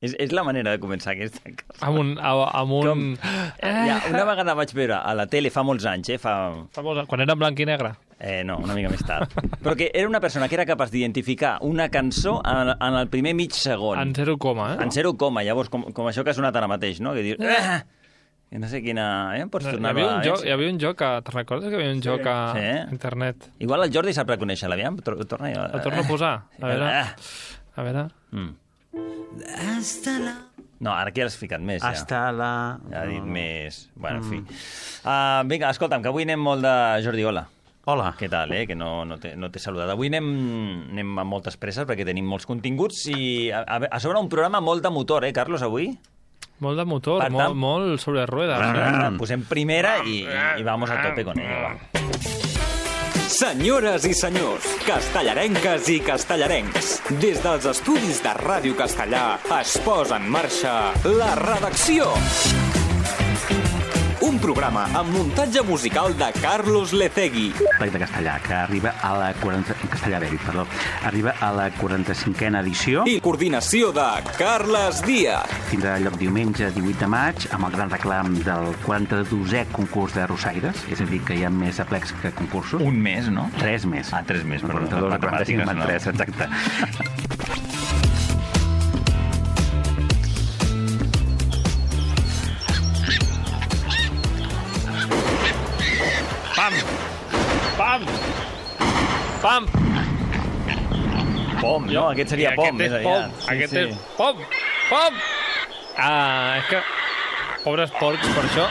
És la manera de començar aquesta cosa. Amb un... Una vegada vaig veure a la tele fa molts anys, Quan era en blanc i negre? No, una mica més tard. Però que era una persona que era capaç d'identificar una cançó en el primer mig segon. En 0, En 0, llavors, com això que ha sonat ara mateix, no? Que dius... Que no sé quina... Pots tornar hi havia un joc, te'n recordes que hi havia un joc a internet? Igual el Jordi sap reconèixer, l'aviam? El torno a posar. A veure... No, ara aquí has ficat més, ja. Hasta la... Ja ha dit més... Bueno, en fi. Vinga, escolta'm, que avui anem molt de Jordi Ola. Hola. Què tal, que no t'he saludat. Avui anem amb moltes presses perquè tenim molts continguts i a sobre un programa molt de motor, Carlos, avui? Molt de motor, molt sobre ruedas. Posem primera i vamos a tope con ello, va. Senyores i senyors, castellarenques i castellarencs, des dels estudis de Ràdio Castellà es posa en marxa La Redacció. Un programa amb muntatge musical de Carlos Lecegui. Plec de castellà, que arriba a la 45a edició. I coordinació de Carles Díaz. Tindrà lloc diumenge 18 de maig amb el gran reclam del 42è concurs de Rossaires, és a dir, que hi ha més aplecs que concursos. Un mes, no? 3 més. 3 més, perdó. 42 a 45 amb 3, exacte. Pam! Pom, no? Aquest seria pom. Aquest és pom! És que... Pobres porcs, per això.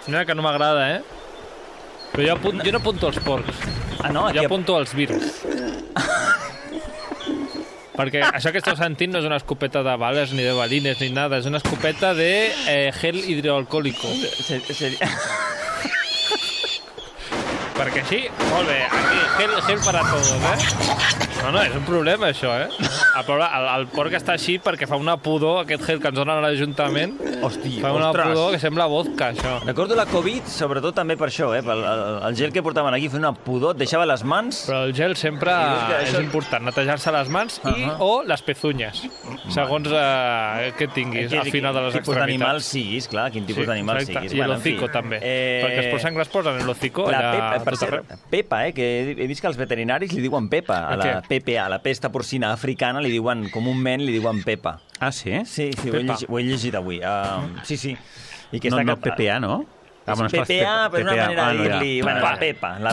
Mira que no m'agrada, Però jo no apunto els porcs. No? Jo apunto els virus. Perquè això que esteu sentint no és una escopeta de bales ni de balines ni nada, és una escopeta de gel hidroalcohòlico. Perquè així, molt bé, aquí, gel para todos, No, és un problema, això, El porc està així perquè fa una pudor, aquest gel que ens donen a l'Ajuntament. Hòstia, fa una pudor que sembla vodka, això. Recordo la Covid, sobretot també per això, el gel que portaven aquí feia una pudor, et deixava les mans... Però el gel sempre és important, netejar-se les mans o les pezunyes, segons què tinguis al final de les extremitats. Quin tipus d'animal siguis, clar, quin tipus d'animal siguis. I l'hocico, també, perquè els porcs sengles posen l'hocico allà tot arreu. Pepa, que he vist que els veterinaris li diuen Pepa, a la PPA, la pesta porcina africana, li diuen, comúment li diuen Pepa. Ah, sí? Sí, ho he llegit avui. Sí. No PPA, no? PPA, però és una manera de dir-li... La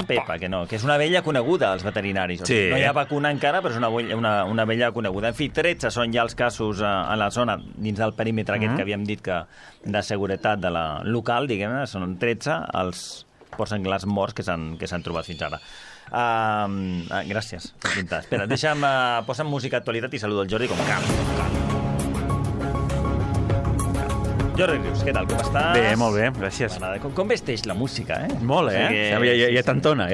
Pepa, que no, que és una abella coneguda als veterinaris. No hi ha vacuna encara, però és una abella coneguda. En fi, 13 són ja els casos a la zona, dins del perímetre aquest que havíem dit que de seguretat de la local, diguem-ne, són 13 els porcs senglars morts que s'han trobat fins ara. Gràcies per pintar. Espera, posa'm música d'actualitat i saludo el Jordi com cal. Jordi Rius, què tal? Com estàs? Bé, molt bé, gràcies. Com vesteix la música, Molt, Ja t'entona,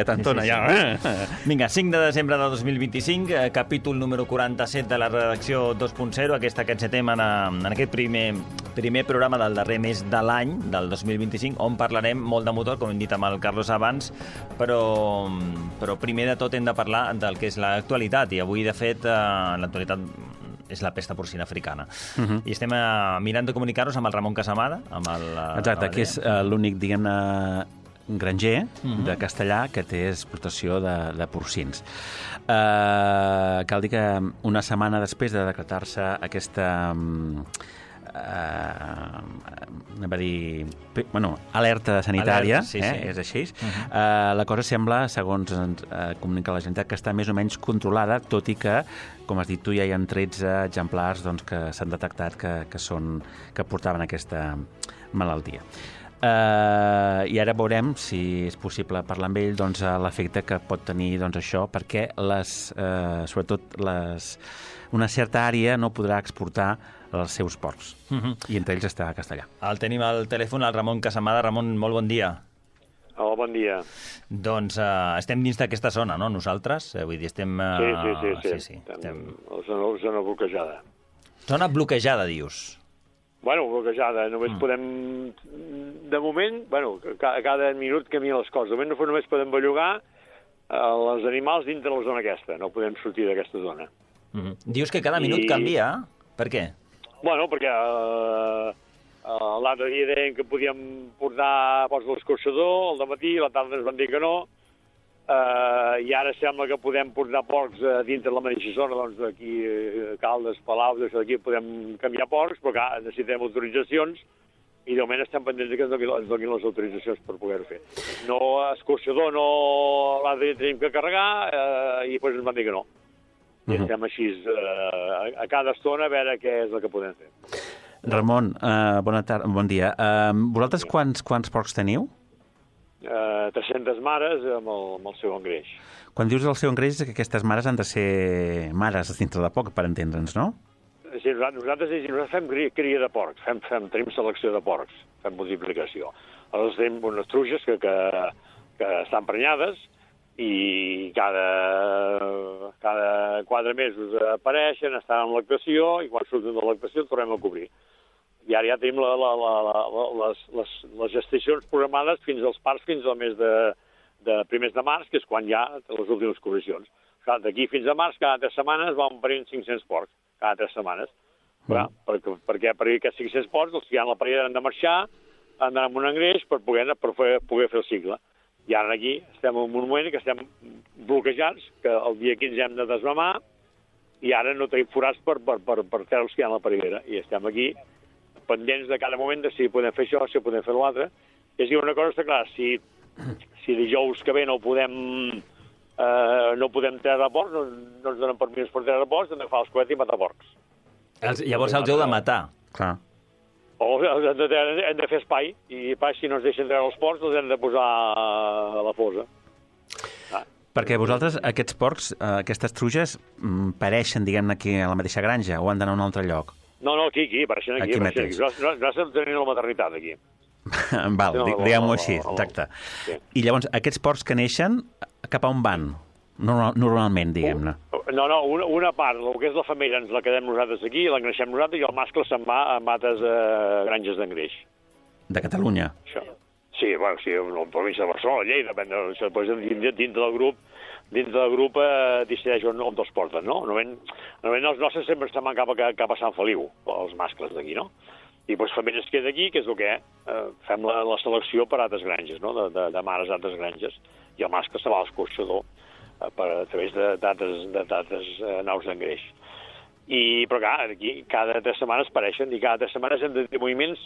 Vinga, 5 de desembre de 2025, capítol número 47 de la redacció 2.0. Aquest encetem en aquest primer programa del darrer mes de l'any, del 2025, on parlarem molt de motor, com hem dit amb el Carlos abans, però primer de tot hem de parlar del que és l'actualitat, i avui, de fet, l'actualitat és la pesta porcina africana. I estem mirant de comunicar-nos amb el Ramon Casamada. Exacte, que és l'únic, diguem-ne, granger de Castellà que té explotació de porcins. Cal dir que una setmana després de decretar-se aquesta alerta sanitària, és així. La cosa sembla, segons comunica la Generalitat, que està més o menys controlada, tot i que, com has dit tu, ja hi ha 13 exemplars que s'han detectat que portaven aquesta malaltia. I ara veurem si és possible parlar amb ell l'efecte que pot tenir això, perquè sobretot una certa àrea no podrà exportar els seus porcs, i entre ells està Castellà. El tenim al telèfon, el Ramon Casamada. Ramon, molt bon dia. Hola, bon dia. Doncs estem dins d'aquesta zona, no?, nosaltres? Vull dir, estem... Sí. Estem a la zona bloquejada. Zona bloquejada, dius? Bueno, bloquejada. Només podem... De moment, cada minut canvien les coses. De moment només podem bellugar els animals dintre la zona aquesta. No podem sortir d'aquesta zona. Dius que cada minut canvia. Per què? Bueno, perquè l'altre dia deien que podíem portar l'escorxador al dematí, a la tarda ens van dir que no, i ara sembla que podem portar porcs dintre la mateixa zona, doncs aquí, Caldes, Palau, d'això d'aquí, podem canviar porcs, però clar, necessitem autoritzacions, i de moment estem pendents que ens donin les autoritzacions per poder-ho fer. No, escorxador no l'altre dia tenim que carregar, i després ens van dir que no. I estem així a cada estona a veure què és el que podem fer. Ramon, bon dia. Vosaltres quants porcs teniu? 300 mares amb el seu engreix. Quan dius el seu engreix és que aquestes mares han de ser mares dintre de poc, per entendre'ns, no? Sí, nosaltres fem cria de porcs, tenim selecció de porcs, fem multiplicació. Aleshores tenim unes truges que estan prenyades i cada 4 mesos apareixen, estan en lactació i quan surten de lactació el tornem a cobrir. I ara ja tenim les gestacions programades fins als parts fins al mes de primers de març, que és quan hi ha les últimes cobricions. D'aquí fins a març, cada 3 setmanes van parint 500 porcs, cada 3 setmanes. Perquè per aquests 500 porcs, els que hi ha en la parella han de marxar, han d'anar amb un engreix per poder fer el cicle. I ara aquí estem en un moment que estem bloquejats, que el dia 15 hem de desmamar, i ara no tenim forats per treure'ls que hi ha en la parellera. I estem aquí pendents de cada moment de si podem fer això, si podem fer l'altre. És dir, una cosa està clar, si dijous que ve no podem treure porcs, no ens donen permís per treure porcs, hem d'agafar els coets i matar porcs. Llavors els heu de matar. Clar. O hem de fer espai, i si no ens deixen treure els porcs, els hem de posar a la fosa. Perquè vosaltres, aquests porcs, aquestes truges, pareixen, diguem-ne, aquí a la mateixa granja, o han d'anar a un altre lloc? No, aquí, apareixen aquí. Mateix. Nosaltres tenim la maternitat aquí. Val, diguem-ho així, exacte. I llavors, aquests porcs que neixen, cap a on van? Normalment, diguem-ne. No, una part, el que és la femella ens la quedem nosaltres aquí, l'engreixem nosaltres, i el mascle se'n va a mates granges d'engreix. De Catalunya? Això. Sí, bueno, sí, en la província de Barcelona, Lleida, després dintre del grup decideix on els porten, no? Normalment els nostres sempre se'n van cap a Sant Feliu, els mascles d'aquí, no? I doncs femelles es queda aquí, que és el que fem la selecció per altres granges, no? De mares d'altres granges, i el mascle se va a l'escorxador a través d'altres naus d'engreix. Però clar, aquí cada 3 setmanes pareixen, i cada 3 setmanes hem de tenir moviments,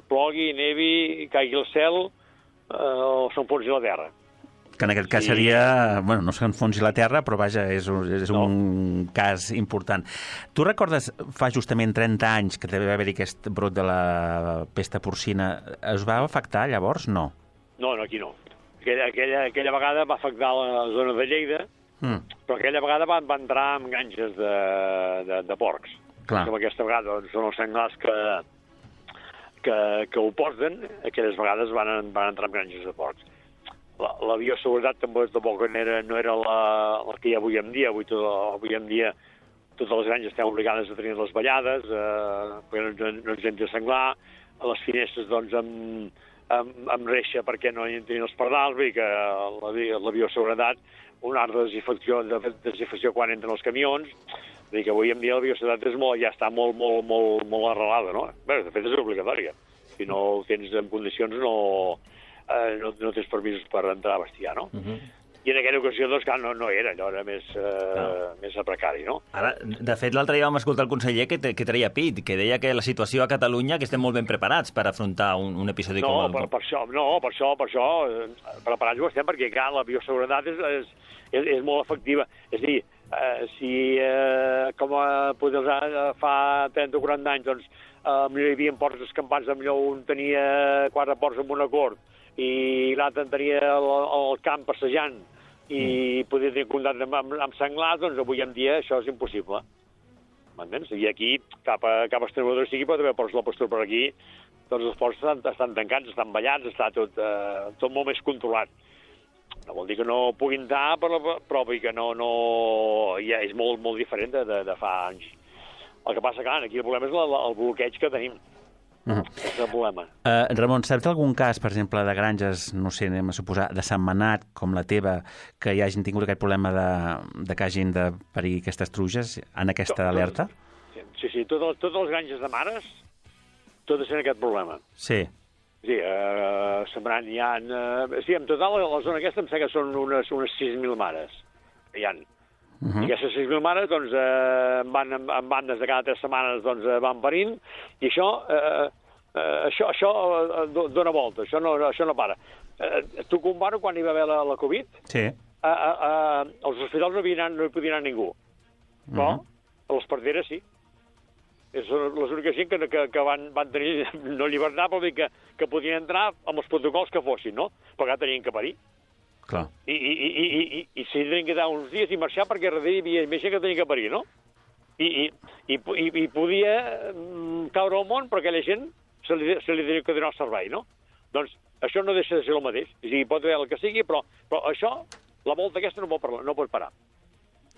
plogui, nevi, caigui el cel, o s'enfonsi la terra. Que en aquest cas seria, bueno, no s'enfonsi la terra, però vaja, és un cas important. Tu recordes, fa justament 30 anys que devia haver-hi aquest brot de la pesta porcina, es va afectar llavors? No. No, aquí no. Aquella vegada va afectar la zona de Lleida, però aquella vegada va entrar en granges de porcs. Clar. Com aquesta vegada són els senglars que ho porten, aquelles vegades van entrar en granges de porcs. La bioseguretat tampoc no era la que hi ha avui en dia. Avui en dia totes les granges estem obligades a tenir les vallades, perquè no ens hem de senglar, a les finestres doncs amb reixa perquè no hi entrin els pardals, vull dir que la bioseguretat, un art de desinfecció quan entren els camions, vull dir que avui en dia la bioseguretat ja està molt arrelada, no? Bé, de fet és obligatòria. Si no ho tens en condicions no tens permisos per entrar a bestiar, no? I en aquella ocasió, doncs, clar, no era, allò era més precari, no? Ara, de fet, l'altre dia vam escoltar el conseller que treia pit, que deia que la situació a Catalunya, que estem molt ben preparats per afrontar un episodi com el... Per això, preparats ho estem, perquè, clar, la bioseguretat és molt efectiva. És a dir, com fa 30 o 40 anys, doncs, hi havia porcs escampats, millor un tenia 4 porcs amb un acord, i l'altre tenia el camp passejant i podia tenir contacte amb senglars, doncs avui en dia això és impossible. M'entens? I aquí, cap a Extremadura sigui, pot haver porcs de la pastura per aquí, tots els porcs estan tancats, estan ballats, està tot molt més controlat. No vol dir que no puguin entrar, però vull que ja és molt diferent de fa anys. El que passa, clar, aquí el problema és el bloqueig que tenim. És el problema. Ramon, saps d'algun cas, per exemple, de granges, no sé, anem a suposar, de setmanat, com la teva, que hi hagin tingut aquest problema de que hagin de parir aquestes truges en aquesta alerta? Sí, totes les granges de mares, totes tenen aquest problema. Sí. Sí, sembrant hi ha... Sí, en total, a la zona aquesta em sembla que són unes 6.000 mares. Hi ha. I aquestes 6.000 mares, doncs, en bandes de cada 3 setmanes, doncs, van parint, i això dona volta, això no para. Tu comparo quan hi va haver la Covid, sí. als hospitals no hi podia anar ningú, però a les parteres sí. Són les úniques gent que van tenir no llibertat, però dir que podien entrar amb els protocols que fossin, no? Però que tenien que parir. Clar. I s'hi tenien que dar uns dies i marxar perquè darrere hi havia més gent que tenia que parir, no? I podia caure al món, però aquella gent se li tenia que donar el servei, no? Doncs això no deixa de ser el mateix. O sigui, pot haver el que sigui, però això, la volta aquesta no pot parar.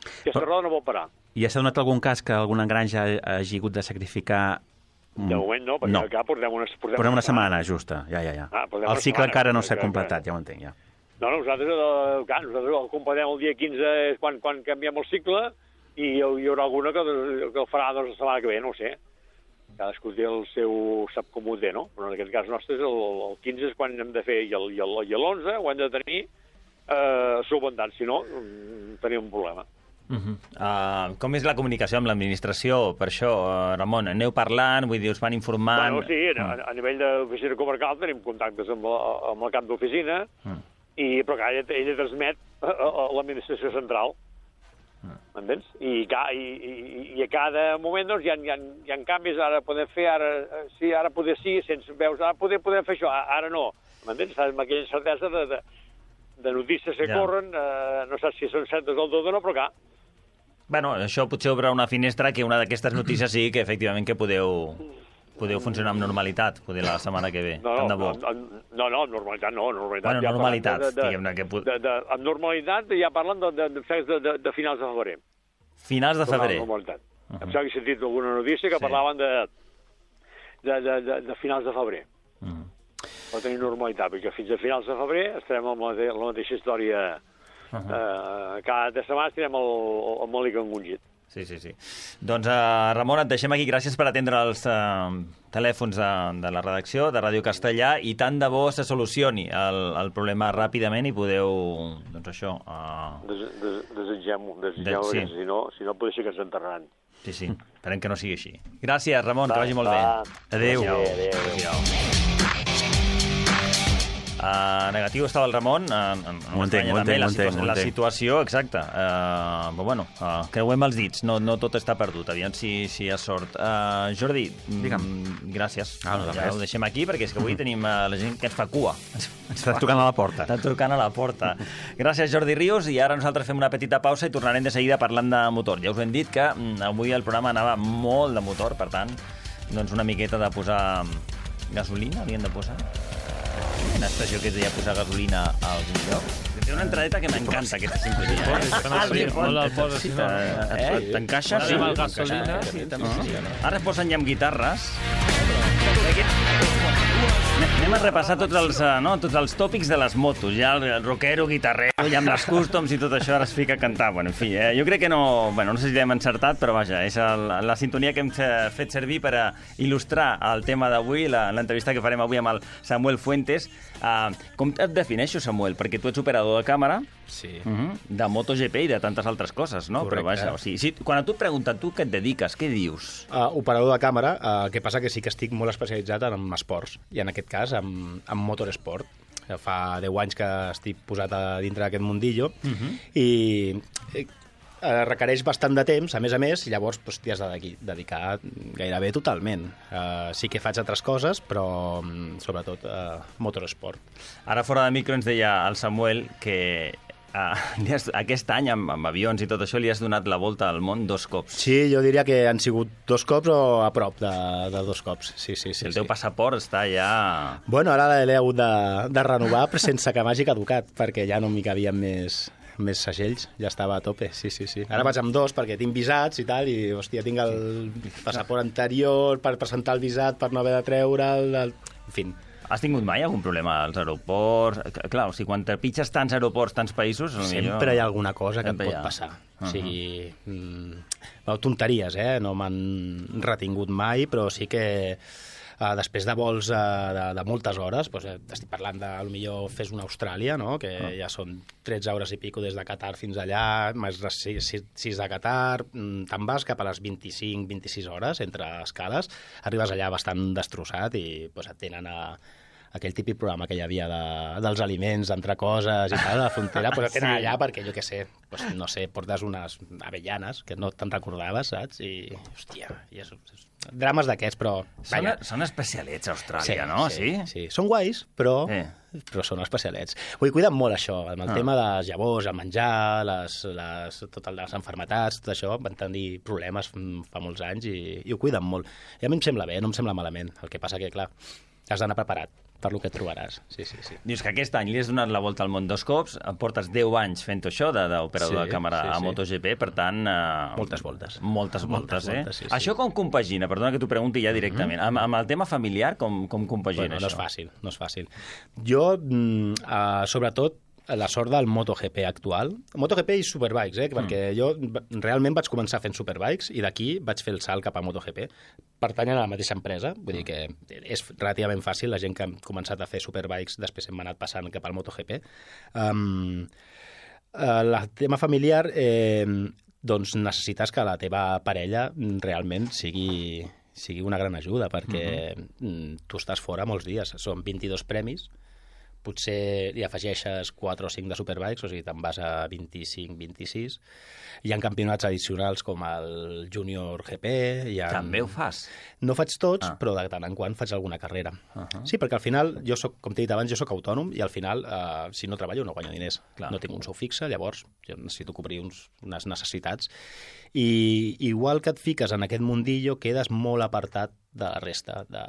Aquesta roda no pot parar. I s'ha donat algun cas que alguna granja hagi hagut de sacrificar... De moment no, perquè acá portem una setmana justa, ja. El cicle encara no s'ha completat, ja ho entenc, ja. No, nosaltres el completem el dia 15 és quan canviem el cicle i hi haurà alguna que el farà la setmana que ve, no ho sé. Cadascú té el seu... sap com ho té, no? Però en aquest cas nostre el 15 és quan hem de fer i l'11 ho hem de tenir solventat, si no tenim un problema. Com és la comunicació amb l'administració? Per això, Ramon, aneu parlant, vull dir, us van informant... Bueno, sí, a nivell d'oficina comarcal tenim contactes amb el cap d'oficina, però que ella transmet a l'administració central. M'entens? I a cada moment doncs, hi ha canvis, ara podem fer, ara poder sí, sense veus, ara podem fer això, ara no. M'entens? Amb aquella incertesa de notícies que corren, no saps si són certes del tot o no, però clar. Bueno, això potser obre una finestra que una d'aquestes notícies sigui que efectivament que podeu funcionar amb normalitat, poder la setmana que ve. No, normalitat no. Bueno, normalitat, diguem-ne. Amb normalitat ja parlen de finals de febrer. Finals de febrer? Normalitat. Em sembla que he sentit alguna notícia que parlaven de finals de febrer. Per tenir normalitat, perquè fins a finals de febrer estarem amb la mateixa història. Cada 3 setmanes estarem el mòlic engongit. Sí. Doncs, Ramon, et deixem aquí. Gràcies per atendre els telèfons de la redacció de Ràdio Castellà i tant de bo se solucioni el problema ràpidament i podeu, doncs això... Desitgem-ho, perquè si no pot ser que ens enterraran. Sí, esperem que no sigui així. Gràcies, Ramon, que vagi molt bé. Adéu. Negatiu estava el Ramon, ho entenc, la situació, exacte, però bueno, creuem els dits, no tot està perdut, aviam si hi ha sort. Jordi, gràcies, ja ho deixem aquí perquè és que avui tenim la gent que ens fa cua. Està trucant a la porta. Està trucant a la porta. Gràcies, Jordi Ríos, i ara nosaltres fem una petita pausa i tornarem de seguida parlant de motor. Ja us hem dit que avui el programa anava molt de motor, per tant, doncs una miqueta de posar gasolina, havíem de posar... Una expressió que es deia posar gasolina a algun lloc. Té una entradeta que m'encanta, aquesta simpatia. Molt el posa, si no. T'encaixa? Sí, amb el gasolina. Ara es posen ja amb guitarres. Anem a repassar tots els tòpics de les motos. Ja el rockero, guitarrero, ja amb les customs i tot això ara es fica a cantar. Bueno, en fi, jo crec que no sé si l'hem encertat, però vaja, és la sintonia que hem fet servir per il·lustrar el tema d'avui, l'entrevista que farem avui amb el Samuel Fuentes. Com et defineixo, Samuel? Perquè tu ets operador de càmera, de MotoGP i de tantes altres coses, no? Correcte. Però vaja, o sigui, quan a tu et pregunten tu què et dediques, què dius? Operador de càmera, el que passa que sí que estic molt especialitzat en esports, i en aquest cas en motorsport. Fa 10 anys que estic posat a dintre d'aquest mundillo, i requereix bastant de temps, a més, llavors t'hi has de dedicar gairebé totalment. Sí que faig altres coses, però sobretot motorsport. Ara fora de micro ens deia el Samuel que aquest any, amb avions i tot això, li has donat la volta al món 2 cops. Sí, jo diria que han sigut 2 cops o a prop de 2 cops. Sí. El teu passaport està ja... Bueno, ara l'he hagut de renovar sense que m'hagi caducat, perquè ja no m'hi cabien més més segells, ja estava a tope, sí. Ara vaig amb 2 perquè tinc visats i tal, i, hòstia, tinc el passaport anterior per presentar el visat, per no haver de treure'l, en fi. Has tingut mai algun problema als aeroports? Clar, o sigui, quan trepitges tants aeroports, tants països... Sempre hi ha alguna cosa que et pot passar. O sigui, tonteries, no m'han retingut mai, però sí que... després de vols de moltes hores, doncs, estic parlant de, potser fes una Austràlia, no? Que ja són 13 hores i pico des de Qatar fins allà, més 6 de Qatar, te'n vas cap a les 25-26 hores entre escales, arribes allà bastant destrossat i doncs, et tenen a aquell típic programa que hi havia dels aliments, entre coses i tal, a la frontera, doncs et tenen allà perquè, jo què sé, doncs, no sé, portes unes avellanes que no te'n recordaves, saps? I, hòstia, drames d'aquests, però... Són especialets a Austràlia, no? Sí. Són guais, però són especialets. Vull cuidar molt això, amb el tema de les llavors, el menjar, totes les malalties, tot això, van tenir problemes fa molts anys i ho cuiden molt. I a mi em sembla bé, no em sembla malament. El que passa que, clar, has d'anar preparat per lo que et trobaràs. Sí. Dius que aquest any li has donat la volta al món 2 cops, portes 10 anys fent això d'operador de càmera a MotoGP, per tant... Moltes voltes. Moltes voltes. Això com compagina? Perdona que t'ho pregunti ja directament. Amb el tema familiar, com compagina això? No és fàcil. Jo, sobretot, la sort del MotoGP actual. MotoGP i Superbikes, perquè jo realment vaig començar fent Superbikes i d'aquí vaig fer el salt cap a MotoGP. Pertanyen a la mateixa empresa, vull dir que és relativament fàcil, la gent que ha començat a fer Superbikes després hem anat passant cap al MotoGP. El tema familiar, doncs necessites que la teva parella realment sigui una gran ajuda, perquè tu estàs fora molts dies, són 22 premis, potser li afegeixes 4 o 5 de Superbikes, o sigui, te'n vas a 25-26. Hi ha campionats addicionals com el Junior GP. També ho fas? No faig tots, però de tant en quant faig alguna carrera. Sí, perquè al final, jo soc, com t'he dit abans, jo soc autònom i al final, si no treballo, no guanyo diners. No tinc un sou fixe, llavors jo necessito cobrir unes necessitats. I igual que et fiques en aquest mundillo, quedes molt apartat de la resta de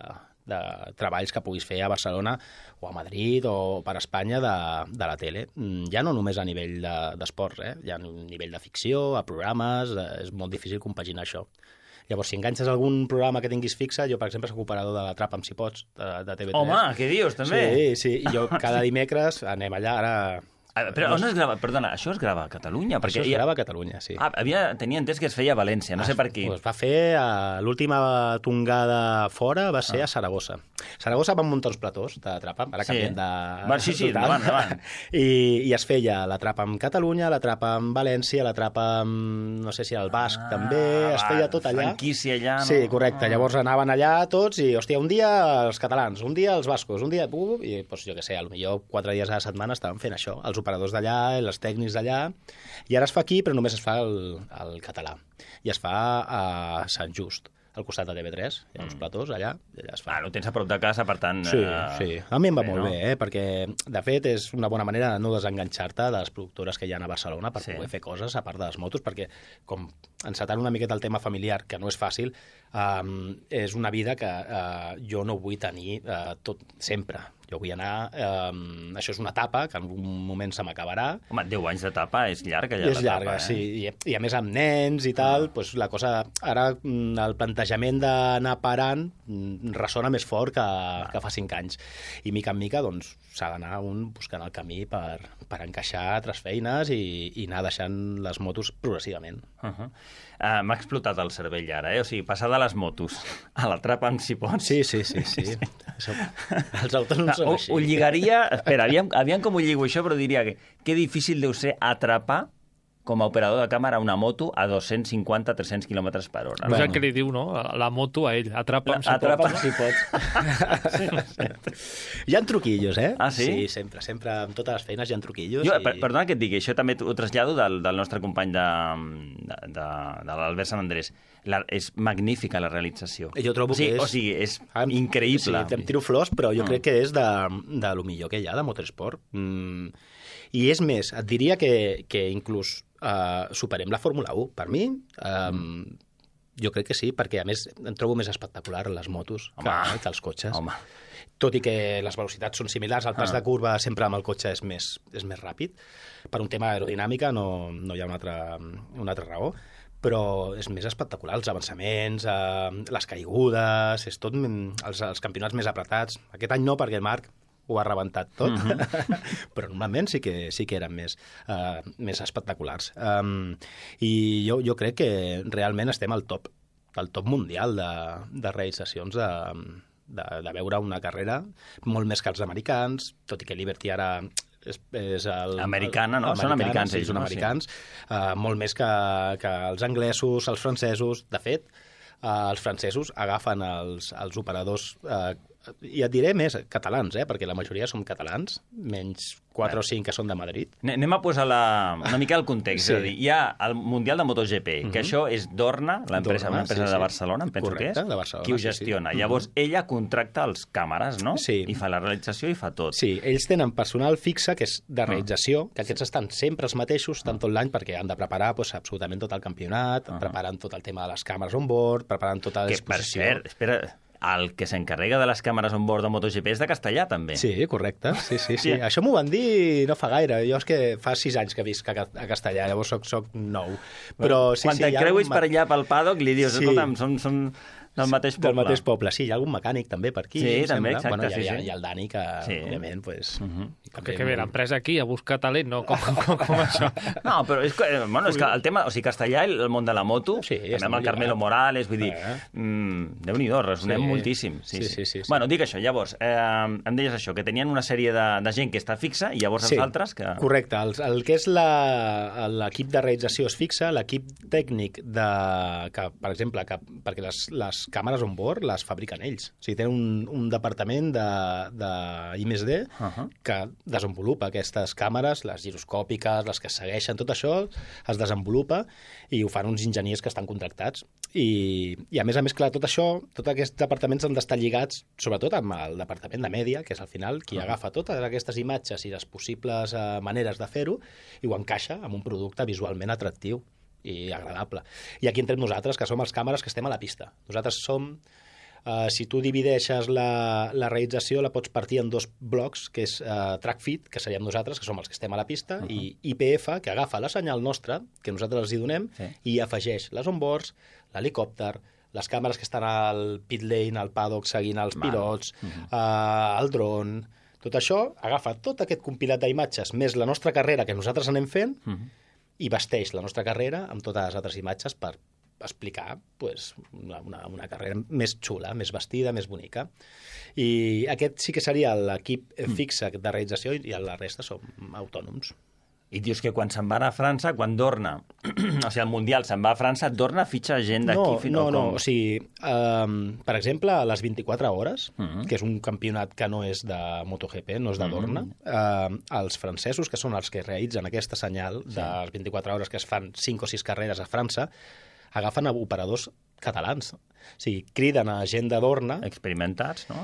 treballs que puguis fer a Barcelona o a Madrid o per Espanya de la tele. Ja no només a nivell d'esports, ja a nivell de ficció, a programes, és molt difícil compaginar això. Llavors, si enganxes algun programa que tinguis fixe, jo, per exemple, soc operador de l'Atrapa'm si pots, de TV3. Home, què dius, també? Sí, i jo cada dimecres anem allà, ara... Però on es grava? Perdona, això es grava a Catalunya? Això es grava a Catalunya, sí. Tenia entès que es feia a València, no sé per qui. Es va fer l'última tongada fora, va ser a Saragossa. Saragossa van muntar uns platós d'Atrapa'm, ara canviem de... Sí, endavant. I es feia l'Atrapa'm Catalunya, l'Atrapa'm València, l'Atrapa'm, no sé si al Basc també, es feia tot allà. Franquícia allà, no? Sí, correcte. Llavors anaven allà tots i, hòstia, un dia els catalans, un dia els bascos, un dia... I, doncs, jo què sé, potser 4 dies a la setmana estaven fent això, els operadors d'allà, els tècnics d'allà, i ara es fa aquí, però només es fa el català. I es fa a Sant Just, al costat de TV3, hi ha uns platós allà, i allà es fa. Ho tens a prop de casa, per tant... Sí. A mi em va molt bé, perquè, de fet, és una bona manera de no desenganxar-te de les productores que hi ha a Barcelona per poder fer coses a part de les motos, perquè, com encetant una miqueta el tema familiar, que no és fàcil, és una vida que jo no vull tenir tot sempre. Jo vull anar... això és una etapa que en un moment se m'acabarà. Home, 10 anys d'etapa és llarga, ja, és llarga, sí. I a més amb nens i tal, doncs la cosa... Ara el plantejament d'anar parant ressona més fort que fa 5 anys. I mica en mica, doncs, s'ha d'anar buscant el camí per encaixar altres feines i anar deixant les motos progressivament. M'ha explotat el cervell ara, O sigui, passar de les motos a l'Atrapa'm si pots. Sí. Els autònoms són així. Ho lligaria... Espera, aviam com ho lligo això, però diria que difícil deu ser atrapar com a operador de càmera una moto a 250-300 km per hora. És el que li diu, no? La moto a ell. Atrapa'm si pots. Hi ha truquillos, Ah, sí? Sí, sempre. Amb totes les feines hi ha truquillos. Perdona que et digui, això també ho trasllado del nostre company de l'Albert Sant Andrés. És magnífica la realització. Jo trobo que és... O sigui, és increïble. Sí, em tiro flors, però jo crec que és de lo millor que hi ha de motorsport. I és més, et diria que inclús superem la Fórmula 1. Per mi, Jo crec que sí, perquè a més em trobo més espectacular les motos que els cotxes. Home. Tot i que les velocitats són similars, el pas de curva sempre amb el cotxe és més ràpid. Per un tema aerodinàmica no hi ha una altra raó, però és més espectacular, els avançaments, les caigudes, és tot els campionats més apretats. Aquest any no, perquè Marc ho ha rebentat tot, però normalment sí que eren més espectaculars. I jo crec que realment estem al top mundial de realitzacions de veure una carrera, molt més que els americans, tot i que Liberty ara és americana, no? Són americans, ells, són americans. Molt més que els anglesos, els francesos. De fet, els francesos agafen els operadors, i et diré més, catalans, perquè la majoria són catalans, menys 4 o 5 que són de Madrid. Anem a posar una mica el context. És a dir, hi ha el Mundial de MotoGP, que això és Dorna, l'empresa de Barcelona, em penso que és, qui ho gestiona. Llavors, ella contracta els càmeres, no? Sí. I fa la realització i fa tot. Sí, ells tenen personal fixe, que és de realització, que aquests estan sempre els mateixos, tant tot l'any, perquè han de preparar absolutament tot el campionat, preparen tot el tema de les càmeres on board, preparant tota l'exposició. Que, per cert, espera, el que s'encarrega de les càmeres on board de MotoGP és de Castellà, també. Sí, correcte. Sí. Això m'ho van dir no fa gaire. Jo és que fa 6 anys que visc a Castellà, llavors soc nou. Però quan te'n creuis per allà pel paddock, li dius, escolta'm, són del mateix poble. Del mateix poble, sí. Hi ha algun mecànic també per aquí. Sí, també, exacte. Hi ha el Dani, que òbviament, pues... Que bé, l'empresa aquí a buscar talent, no? Com això? No, però és que el tema... O sigui, Castellà, el món de la moto, també amb el Carmelo Morales, vull dir... Déu-n'hi-do, resonem moltíssim. Sí. Bueno, dic això, llavors, em deies això, que tenien una sèrie de gent que està fixa i llavors els altres que... Correcte. El que és l'equip de realització es fixa, l'equip tècnic que, per exemple, perquè les càmeres on board les fabriquen ells. O sigui, tenen un departament d'I+D que desenvolupa aquestes càmeres, les giroscòpiques, les que segueixen, tot això es desenvolupa i ho fan uns enginyers que estan contractats. I a més, clar, tot això, tots aquests departaments han d'estar lligats, sobretot amb el departament de mèdia, que és al final qui agafa totes aquestes imatges i les possibles maneres de fer-ho i ho encaixa amb un producte visualment atractiu i agradable. I aquí entrem nosaltres, que som els càmeres que estem a la pista. Nosaltres som... si tu divideixes la realització, la pots partir en 2 blocs, que és track feed, que seríem nosaltres, que som els que estem a la pista, i IPF, que agafa la senyal nostra, que nosaltres els hi donem, i afegeix les onboards, l'helicòpter, les càmeres que estan al pit lane, al paddock, seguint els pilots, el dron... Tot això agafa tot aquest compilat d'imatges, més la nostra carrera que nosaltres anem fent, i vesteix la nostra carrera amb totes les altres imatges per explicar una carrera més xula, més vestida, més bonica. I aquest sí que seria l'equip fixe de realització i la resta som autònoms. I dius que quan se'n van a França, quan Dorna, o sigui, el Mundial se'n va a França, Dorna fitxa gent d'aquí? No, o sigui, per exemple, a les 24 hores, que és un campionat que no és de MotoGP, no és de Dorna, els francesos, que són els que realitzen aquesta senyal de les 24 hores que es fan 5 o 6 carreres a França, agafen operadors catalans. O sigui, criden a gent de Dorna... Experimentats, no?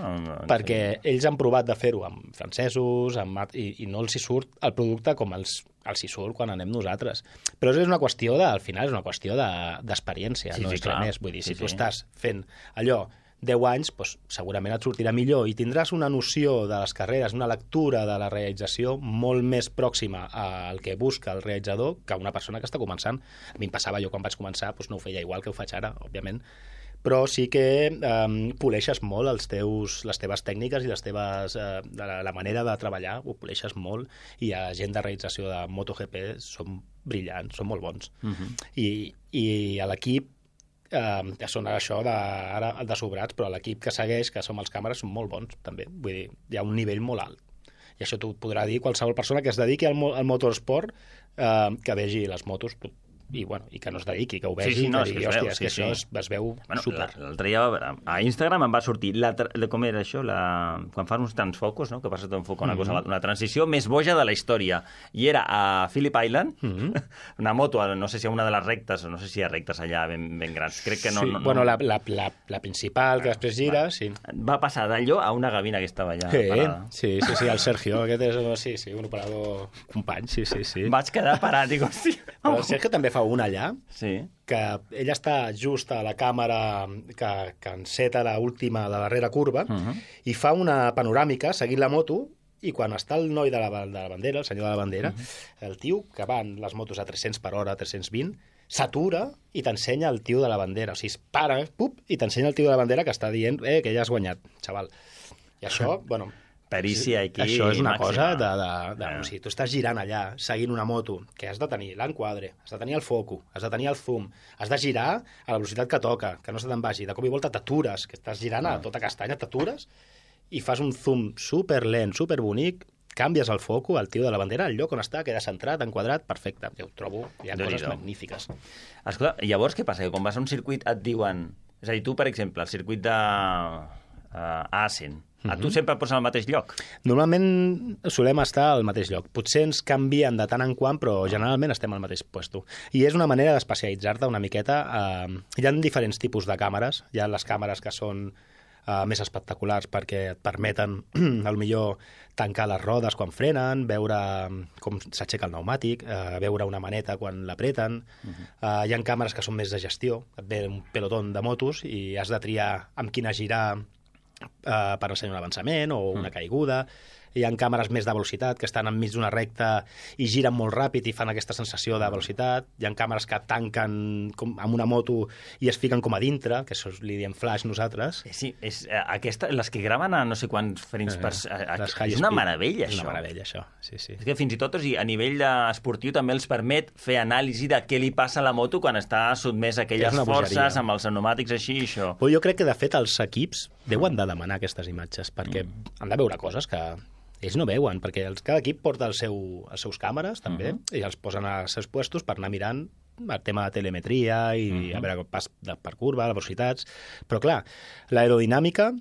Perquè ells han provat de fer-ho amb francesos, i no els hi surt el producte com els hi surt quan anem nosaltres. Però és una qüestió al final és una qüestió d'experiència, no és res més. Vull dir, si tu estàs fent allò 10 anys, doncs segurament et sortirà millor i tindràs una noció de les carreres, una lectura de la realització molt més pròxima al que busca el realitzador que una persona que està començant. A mi em passava, jo quan vaig començar no ho feia igual que ho faig ara, òbviament, però sí que poleixes molt les teves tècniques i la manera de treballar, ho poleixes molt, i a gent de realització de MotoGP són brillants, són molt bons. I a l'equip que són això ara de sobrats, però l'equip que segueix, que som els càmeres, són molt bons també. Vull dir, hi ha un nivell molt alt. I això t'ho podrà dir qualsevol persona que es dediqui al motorsport, que vegi les motos i que no es dediqui, que ho vegi, no, que digui, hòstia, és que això es veu super. L'altre dia a Instagram em va sortir, com era això, quan fan uns tants focus, no? Que passa tot un foc, una transició més boja de la història. I era a Phillip Island, una moto, no sé si a una de les rectes, o no sé si hi ha rectes allà ben grans. Crec que no. Sí, bueno, la principal, que després gira, sí. Va passar d'allò a una gavina que estava allà parada. Sí, el Sergio, aquest és un operador company, sí. Vaig quedar parat, dic, hòstia. Però el Sergio també fa fa un allà, que ell està just a la càmera que enceta l'última de la darrera curva i fa una panoràmica seguint la moto. I quan està el noi de la bandera, el senyor de la bandera, el tio que van les motos a 300 per hora, 320, s'atura i t'ensenya el tio de la bandera. O sigui, es para, i t'ensenya el tio de la bandera que està dient que ja has guanyat, xaval. I això, bueno... Perícia aquí això és una màxima. Cosa o sigui, tu estàs girant allà, seguint una moto, que has de tenir l'enquadre, has de tenir el foco, has de tenir el zoom, has de girar a la velocitat que toca, que no se te'n vagi. De cop i volta t'atures, que estàs girant a tota castanya, t'atures, i fas un zoom superlent, superbonic, canvies el foco, el tio de la bandera, el lloc on està, queda centrat, enquadrat, perfecte. Jo ho trobo, hi ha coses magnífiques. Escolta, llavors què passa? Que quan vas a un circuit et diuen... És a dir, tu, per exemple, el circuit de Assen, a tu sempre et posen al mateix lloc? Normalment solem estar al mateix lloc. Potser ens canvien de tant en quant, però generalment estem al mateix puesto. I és una manera d'especialitzar-te una miqueta. Hi ha diferents tipus de càmeres. Hi ha les càmeres que són més espectaculars perquè et permeten, millor tancar les rodes quan frenen, veure com s'aixeca el pneumàtic, veure una maneta quan l'apreten. Hi ha càmeres que són més de gestió. Et ve un pelotó de motos i has de triar amb quina girar per ensenyar un avançament o una caiguda. Hi ha càmeres més de velocitat que estan enmig d'una recta i giren molt ràpid i fan aquesta sensació de velocitat. Hi ha càmeres que tanquen amb una moto i es fiquen com a dintre, que això li diem flash nosaltres. Sí, les que graven a no sé quants frames per... És una meravella, això. És una meravella, això, sí. És que fins i tot a nivell esportiu també els permet fer anàlisi de què li passa a la moto quan està sotmès a aquelles forces amb els pneumàtics així i això. Però jo crec que, de fet, els equips deuen de demanar aquestes imatges, perquè han de veure coses que ells no veuen, perquè cada equip porta els seus càmeres, també, i els posen als seus puestos per anar mirant el tema de telemetria i a veure pas per curva, les velocitats. Però, clar, l'aerodinàmica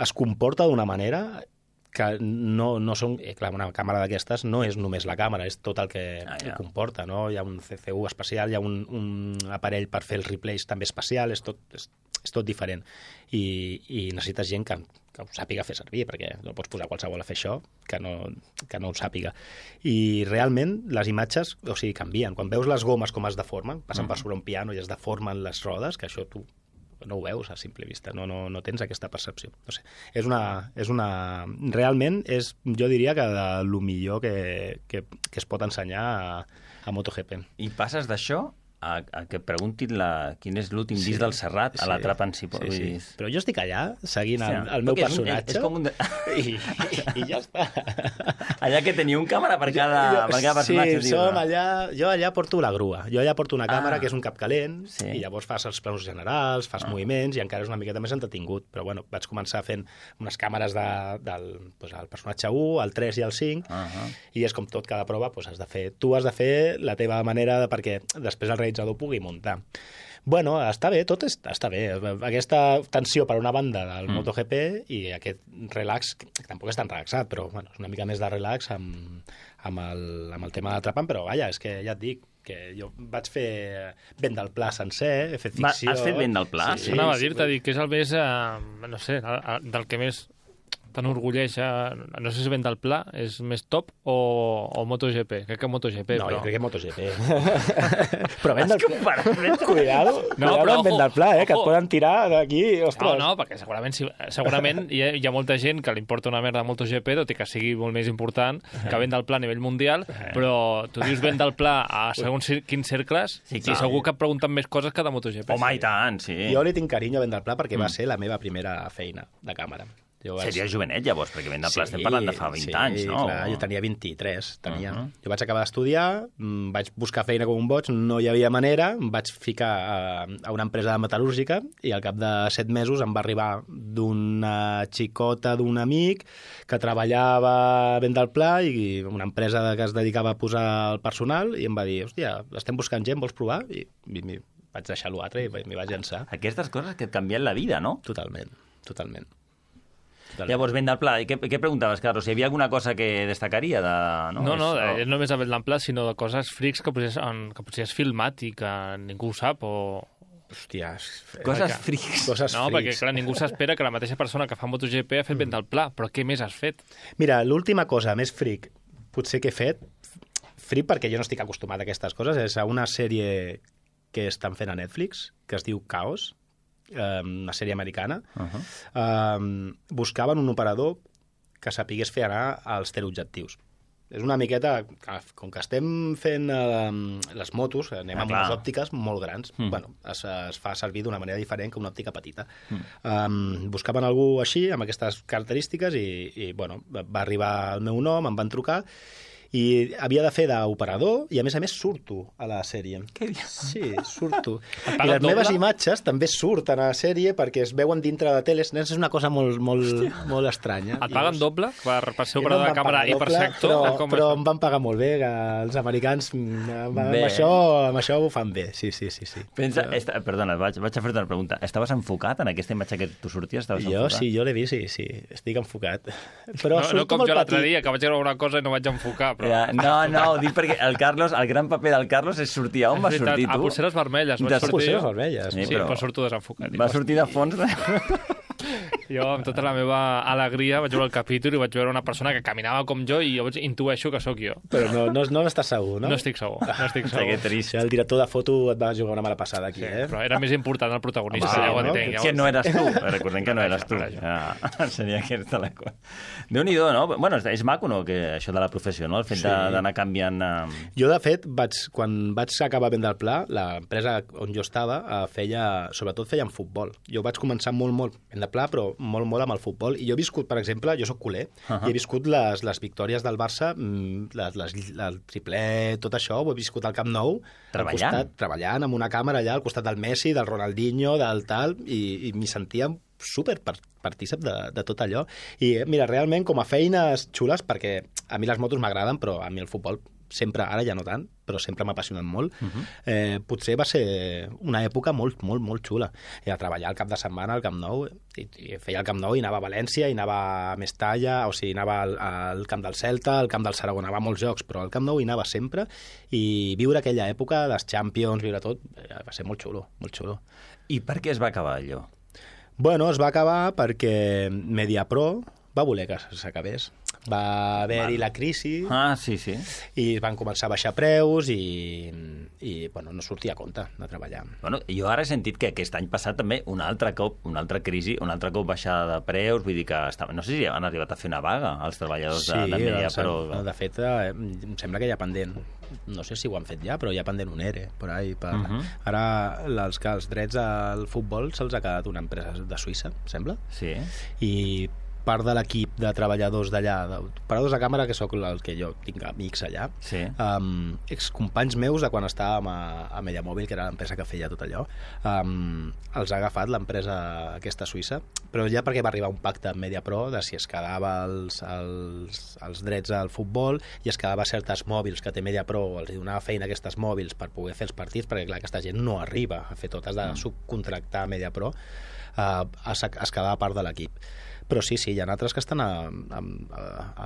es comporta d'una manera que no són... Clar, una càmera d'aquestes no és només la càmera, és tot el que ho comporta, no? Hi ha un CCU especial, hi ha un aparell per fer els replays també especial, és tot diferent. I necessites gent que ho sàpiga fer servir, perquè no pots posar qualsevol a fer això que no ho sàpiga. I realment les imatges, o sigui, canvien. Quan veus les gomes com es deformen, passen per sobre un piano i es deformen les rodes, que això tu no ho veus a simple vista, no tens aquesta percepció. No sé. Realment és, jo diria, que lo millor que es pot ensenyar a MotoGP. I passes d'això a que preguntin quin és l'últim disc del Serrat a l'Atrapa en si. Sí. Però jo estic allà seguint el meu personatge i ja està. Allà que teniu un càmera per cada personatge. Sí, jo allà porto la grua. Jo allà porto una càmera que és un capcalent i llavors fas els planos generals, fas moviments i encara és una miqueta més entretingut. Però bueno, vaig començar fent unes càmeres del personatge 1, el 3 i el 5 i és com tot, cada prova tu has de fer la teva manera perquè després el realitzador pugui muntar. Bueno, està bé, tot està bé. Aquesta tensió per una banda del MotoGP i aquest relax, que tampoc és tan relaxat, però bueno, és una mica més de relax amb el tema d'Atrapant, però vaja, és que ja et dic que jo vaig fer Vent del Pla sencer, he fet ficció... Has fet Vent del Pla? Sí. Anava a dir-te, que és el més, no sé, del que més t'enorgulleix, no sé si Vent del Pla és més top o MotoGP. Crec que MotoGP, no, però... jo crec que MotoGP. Però Vent del Pla... Cuidado amb Vent del Pla, que et poden tirar d'aquí, ostres. No, perquè segurament hi ha molta gent que li importa una merda a MotoGP, tot i que sigui molt més important que Vent del Pla a nivell mundial, però tu dius Vent del Pla a segons quins cercles i segur que et pregunten més coses que de MotoGP. Home, i tant, sí. Jo li tinc carinyo a Vent del Pla perquè va ser la meva primera feina de càmera. Seria jovenet, llavors, perquè Vent del Pla estem parlant de fa 20 anys, no? Sí, clar, jo tenia 23, Jo vaig acabar d'estudiar, vaig buscar feina com un boig, no hi havia manera, em vaig ficar a una empresa de metal·lúrgica i al cap de 7 mesos em va arribar d'una xicota d'un amic que treballava a Vent del Pla i una empresa que es dedicava a posar el personal i em va dir, hòstia, estem buscant gent, vols provar? I vaig deixar l'altre i m'hi vaig llançar. Aquestes coses que et canvien la vida, no? Totalment. Llavors, Vent del Pla, i què preguntaves, Carlos? Si hi havia alguna cosa que destacaria? No, només a Vent del Pla, sinó de coses frics que potser has filmat i que ningú ho sap, o... Hòstia... Coses frics. No, perquè clar, ningú s'espera que la mateixa persona que fa MotoGP ha fet Vent del Pla, però què més has fet? Mira, l'última cosa més fric potser que he fet Free perquè jo no estic acostumat a aquestes coses. És una sèrie que estan fent a Netflix, que es diu Chaos, una sèrie americana. Buscaven un operador que sapigués fer anar als teleobjectius. És una miqueta... Com que estem fent les motos, anem amb unes òptiques molt grans. Bueno, es fa servir d'una manera diferent que una òptica petita. Buscaven algú així, amb aquestes característiques, i bueno, va arribar el meu nom, em van trucar, i havia de fer d'operador, i a més surto a la sèrie. Què dius? Sí, surto. I les meves imatges també surten a la sèrie perquè es veuen dintre de teles. És una cosa molt estranya. Et paguen doble per ser operador de càmera i per ser actor? Però em van pagar molt bé, que els americans amb això ho fan bé. Sí. Pensa, perdona, vaig a fer-te una pregunta. Estaves enfocat en aquesta imatge que tu sorties? Sí, jo l'he vist, sí. Estic enfocat. Però no com jo l'altre dia, que vaig veure una cosa i no vaig enfocar. No, ho dic perquè el gran paper del Carlos és sortir. On vas sortir, tu? A Polseres Vermelles. Polseres Vermelles. Sí, però surto desenfocat. Va sortir de fons. Jo, amb tota la meva alegria, vaig veure el capítol i vaig veure una persona que caminava com jo i llavors intueixo que sóc jo. Però no estàs segur, no? No estic segur. Que trist. El director de foto et va jugar una mala passada aquí, Però era més important el protagonista. Que no eres tu. Recordem que no eres tu. Seria aquesta la cosa. Déu-n'hi-do, no? Bueno, és maco, no?, això de la professió, no? El fet d'anar canviant... Jo, de fet, quan vaig acabar vent del Pla, l'empresa on jo estava sobretot feien futbol. Jo vaig començar molt vent del Pla, però molt amb el futbol. I jo he viscut, per exemple, jo soc culer, i he viscut les victòries del Barça, el triplet, tot això, ho he viscut al Camp Nou, treballant amb una càmera allà al costat del Messi, del Ronaldinho, del tal, i m'hi sentia super partícip de tot allò. I mira, realment, com a feines xules, perquè a mi les motos m'agraden, però a mi el futbol sempre, ara ja no tant, però sempre m'ha apassionat molt. Potser va ser una època molt xula. Era treballar al cap de setmana al Camp Nou, i feia el Camp Nou i anava a València, i anava a Mestalla, o sigui, anava al Camp del Celta, al Camp del Saragossa, anava a molts jocs, però al Camp Nou hi anava sempre, i viure aquella època, les Champions, viure tot, va ser molt xulo. I per què es va acabar allò? Bueno, es va acabar perquè Mediapro va voler que s'acabés. Va haver-hi la crisi sí. I van començar a baixar preus i bueno, no sortia a compte de treballar. Bueno, jo ara he sentit que aquest any passat també un altre cop crisi, un altre cop baixada de preus, vull dir que no sé si han arribat a fer una vaga els treballadors de Media, però... De fet, em sembla que hi ha pendent, no sé si ho han fet ja, però hi ha pendent un ERE per ahí. Ara els drets al futbol se'ls ha quedat una empresa de Suïssa, sembla? Sí. I part de l'equip de treballadors d'allà, operadors de càmera, que sóc el que jo tinc amics allà, excompanys meus de quan estàvem a Mediamòbil, que era l'empresa que feia tot allò, els ha agafat l'empresa aquesta suïssa, però ja perquè va arribar un pacte amb Mediapro de si es quedava els drets al futbol i es quedava certes mòbils que té Mediapro, els donava feina a aquestes mòbils per poder fer els partits, perquè clar, aquesta gent no arriba a fer tot, has de subcontractar Mediapro, es quedava part de l'equip. Però sí, hi ha altres que estan a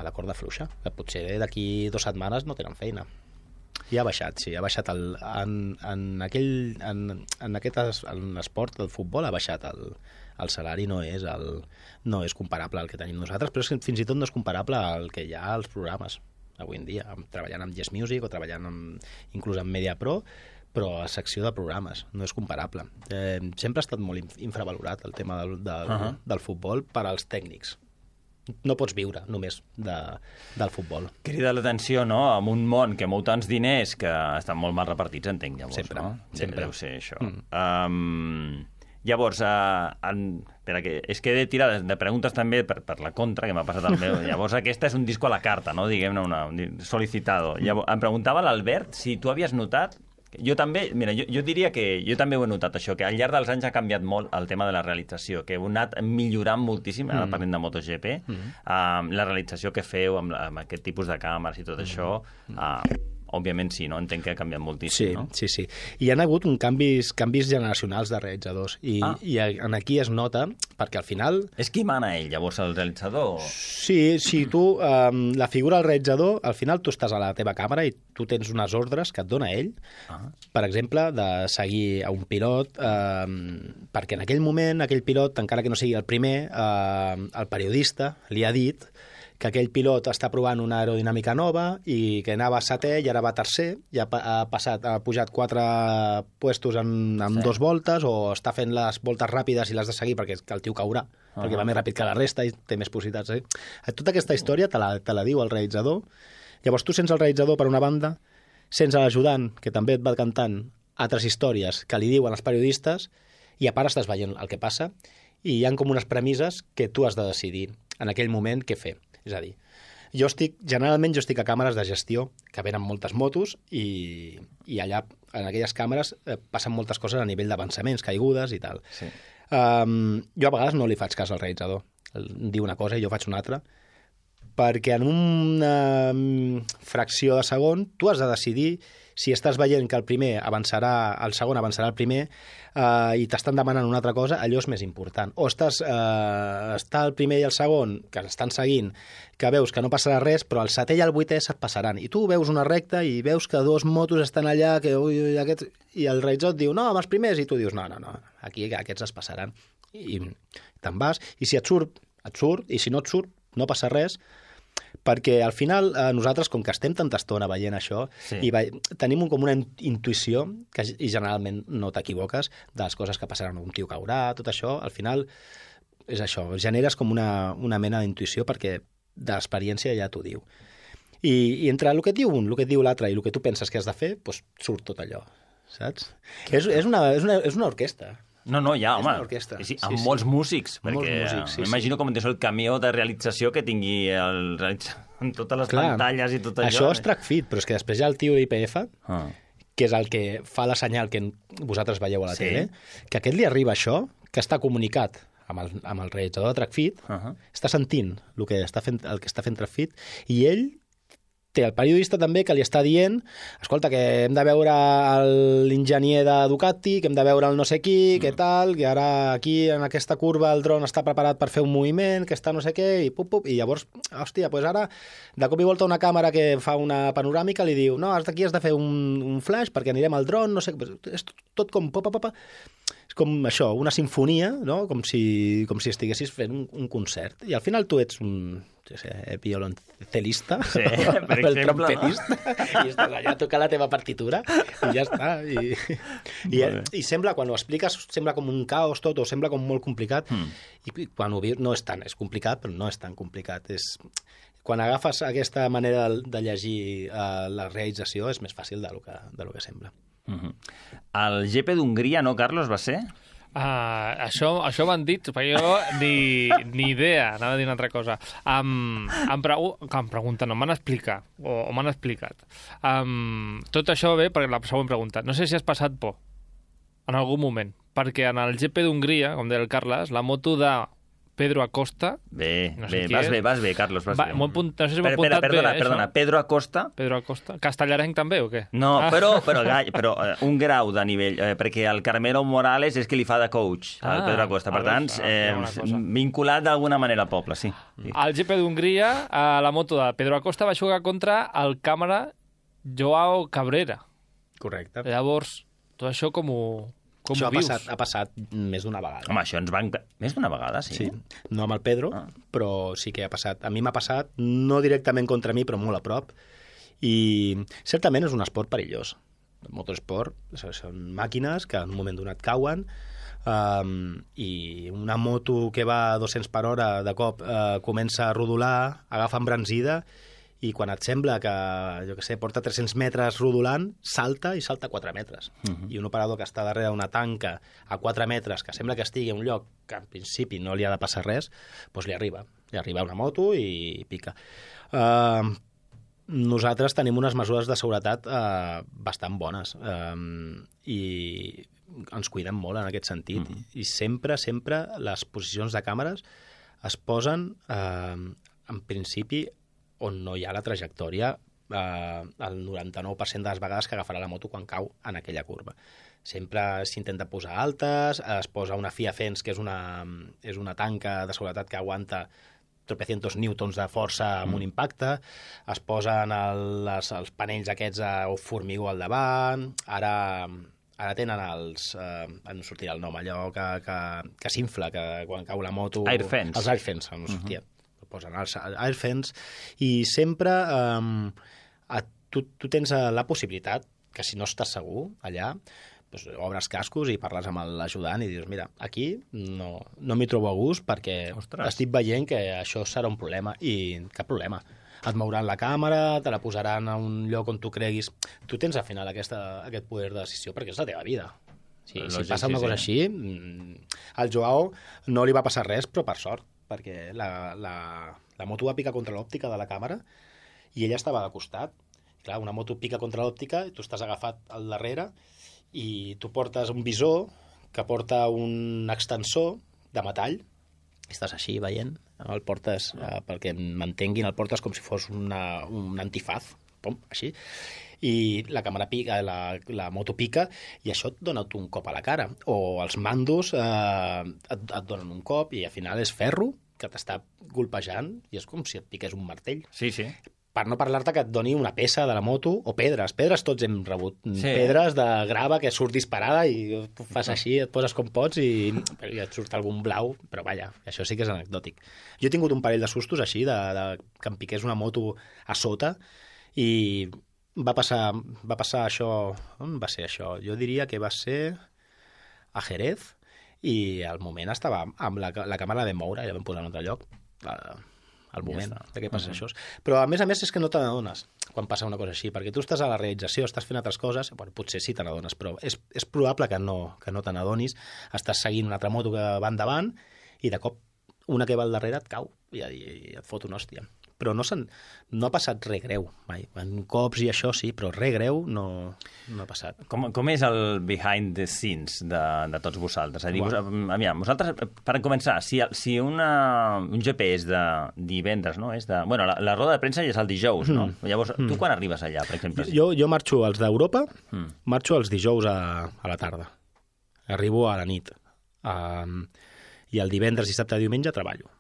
la corda fluixa, que potser d'aquí 2 setmanes no tenen feina. I ha baixat, sí, ha baixat en l'esport, el futbol, ha baixat el salari, no és comparable al que tenim nosaltres, però fins i tot no és comparable al que hi ha als programes avui en dia, treballant amb Yes Music o treballant inclús amb Mediapro, però a secció de programes, no és comparable. Sempre ha estat molt infravalorat el tema del futbol per als tècnics. No pots viure només del futbol. Crida l'atenció, no?, amb un món que mou tants diners que estan molt mal repartits, entenc, llavors, sempre, no? Sempre. Deu ser això. Llavors, és que he de tirar de preguntes també per la contra, que m'ha passat el meu. Llavors, aquesta és un disco a la carta, no?, diguem-ne, un solicitado. Llavors, em preguntava l'Albert si tu havies notat. Jo també, mira, jo diria que jo també ho he notat, això, que al llarg dels anys ha canviat molt el tema de la realització, que heu anat millorant moltíssim, ara parlem de MotoGP, la realització que feu amb aquest tipus de càmeres i tot això, òbviament sí, no? Entenc que ha canviat moltíssim, no? Sí. Hi ha hagut canvis generacionals de realitzadors i aquí es nota, perquè al final... És qui mana ell, llavors, el realitzador? Sí, tu, la figura del realitzador, al final tu estàs a la teva càmera i tu tens unes ordres que et dona ell, per exemple, de seguir a un pilot, perquè en aquell moment, aquell pilot, encara que no sigui el primer, el periodista li ha dit que aquell pilot està provant una aerodinàmica nova i que anava setè i ara va tercer, i ha pujat 4 puestos en 2 voltes, o està fent les voltes ràpides i l'has de seguir perquè el tio caurà, perquè va més ràpid que la resta i té més possibilitats. Tota aquesta història te la diu el realitzador. Llavors tu sents el realitzador per una banda, sents l'ajudant, que també et va cantant altres històries que li diuen els periodistes, i a part estàs veient el que passa, i hi ha com unes premisses que tu has de decidir en aquell moment què fer. És a dir, generalment jo estic a càmeres de gestió, que venen moltes motos, i allà, en aquelles càmeres, passen moltes coses a nivell d'avançaments, caigudes i tal. Sí. Jo a vegades no li faig cas al realitzador. Em diu una cosa i jo faig una altra, perquè en una fracció de segon tu has de decidir si estàs veient que el segon avançarà el primer i t'estan demanant una altra cosa, allò és més important. O està el primer i el segon, que estan seguint, que veus que no passarà res, però el setè i el vuitè se't passaran. I tu veus una recta i veus que 2 motos estan allà, i el realitzador et diu, no, amb els primers, i tu dius, no, aquí aquests es passaran. I te'n vas, i si et surt, i si no et surt, no passa res, perquè al final nosaltres, com que estem tanta estona veient això, i tenim com una intuïció, i generalment no t'equivoques, de les coses que passaran, un tio caurà, tot això, al final és això, generes com una mena d'intuïció perquè de l'experiència ja t'ho diu. I entre el que et diu un, el que et diu l'altre i el que tu penses que has de fer, doncs surt tot allò, saps? És una orquestra. No, ja, home, sí, amb molts músics, perquè m'imagino com el camió de realització que tingui en totes les pantalles i tot allò. Això és track fit, però és que després hi ha el tio d'IPF, que és el que fa la senyal que vosaltres veieu a la tele, que a aquest li arriba això, que està comunicat amb el realitzador de track fit, està sentint el que està fent track fit, i ell té el periodista també que li està dient, escolta, que hem de veure l'enginyer de Ducati, que hem de veure el no sé qui, que tal, que ara aquí en aquesta curva el dron està preparat per fer un moviment, que està no sé què, i llavors, hòstia, doncs ara de cop i volta una càmera que fa una panoràmica li diu, no, aquí has de fer un flash perquè anirem al dron, no sé, és tot com és com això, una sinfonia, no? Com si estiguessis fent un concert. I al final tu ets un violoncelista, per exemple, trompetista, i estàs allà a tocar la teva partitura, i ja està. I sembla, quan ho expliques, sembla com un caos tot, o sembla com molt complicat, i quan ho vius no és tant, és complicat, però no és tan complicat. Quan agafes aquesta manera de llegir la realització, és més fàcil del que sembla. El GP d'Hongria, no, Carlos, va ser? Això m'han dit, però jo ni idea, anava a dir una altra cosa. Em pregunten, m'han explicat, o m'han explicat. Tot això ve per la següent pregunta. No sé si has passat por en algun moment, perquè en el GP d'Hongria, com deia el Carles, la moto de Pedro Acosta... Vas bé, Carlos, vas bé. No sé si m'ho apuntat bé. Perdona, Pedro Acosta... Pedro Acosta? Castellarenc també, o què? No, però un grau de nivell, perquè el Carmelo Morales és que li fa de coach, al Pedro Acosta. Per tant, vinculat d'alguna manera al poble, sí. Al GP d'Hongria, la moto de Pedro Acosta va jugar contra el càmera Joao Cabrera. Correcte. Llavors, tot això com ho vius? Ha passat més d'una vegada. Home, això ens van... Més d'una vegada, sí? Sí, no amb el Pedro, però sí que ha passat. A mi m'ha passat, no directament contra mi, però molt a prop. I certament és un esport perillós. El motorsport són màquines que en un moment donat cauen, i una moto que va a 200 per hora de cop comença a rodolar, agafa embranzida, i quan et sembla que, jo què sé, porta 300 metres rodolant, salta 4 metres. I un operador que està darrere una tanca a 4 metres, que sembla que estigui en un lloc que en principi no li ha de passar res, doncs li arriba una moto i pica. Nosaltres tenim unes mesures de seguretat bastant bones, i ens cuidem molt en aquest sentit. I sempre les posicions de càmeres es posen, en principi, on no hi ha la trajectòria el 99% de les vegades que agafarà la moto quan cau en aquella curva. Sempre s'intenta posar altes, es posa una FIA Fence, que és una tanca de seguretat que aguanta tropecientos newtons de força amb un impacte, es posen els panells aquests a formigó al davant, ara tenen no sortirà el nom, allò que s'infla, que quan cau la moto... Air Fence. Els Air Fence, no sortia. posen els Airfans, i sempre tu tens la possibilitat que si no estàs segur allà, doncs obres cascos i parles amb l'ajudant i dius, mira, aquí no m'hi trobo a gust perquè estic veient que això serà un problema, i cap problema. Et mouran la càmera, te la posaran a un lloc on tu creguis. Tu tens al final aquest poder de decisió perquè és la teva vida. Si passa una cosa així, al Joao no li va passar res, però per sort, perquè la moto va picar contra l'òptica de la càmera i ella estava de costat. Clar, una moto pica contra l'òptica i tu estàs agafat al darrere i tu portes un visor que porta un extensor de metall i estàs així veient, el portes, perquè m'entenguin, el portes com si fos un antifaz, pom, així, i la càmera pica, la moto pica, i això et dona un cop a la cara. O els mandos et donen un cop i al final és ferro que t'està golpejant i és com si et piqués un martell. Sí. Per no parlar-te que et doni una peça de la moto, o pedres tots hem rebut. Pedres de grava que surt disparada i tu fas així, et poses com pots i et surt algun blau, però vaja, això sí que és anecdòtic. Jo he tingut un parell de sustos així, que em piqués una moto a sota, i va passar això... On va ser això? Jo diria que va ser a Jerez, i al moment estava amb la càmera de moure i la vam posar en un altre lloc, al moment de què passa això. Però a més és que no te n'adones quan passa una cosa així, perquè tu estàs a la realització, estàs fent altres coses, bueno, potser sí te n'adones, però és probable que no te n'adonis, estàs seguint una altra moto que va endavant i de cop una que va al darrere et cau i et fot una hòstia. Però no ha passat res greu mai. En cops i això sí, però res greu no ha passat. Com és el behind the scenes de tots vosaltres? És a dir, vosaltres, per començar, si un GP és de divendres, no? Bueno, la roda de premsa ja és el dijous, no? Llavors, tu quan arribes allà, per exemple? Jo marxo als d'Europa, marxo els dijous a la tarda. Arribo a la nit. I el divendres, dissabte, diumenge treballo.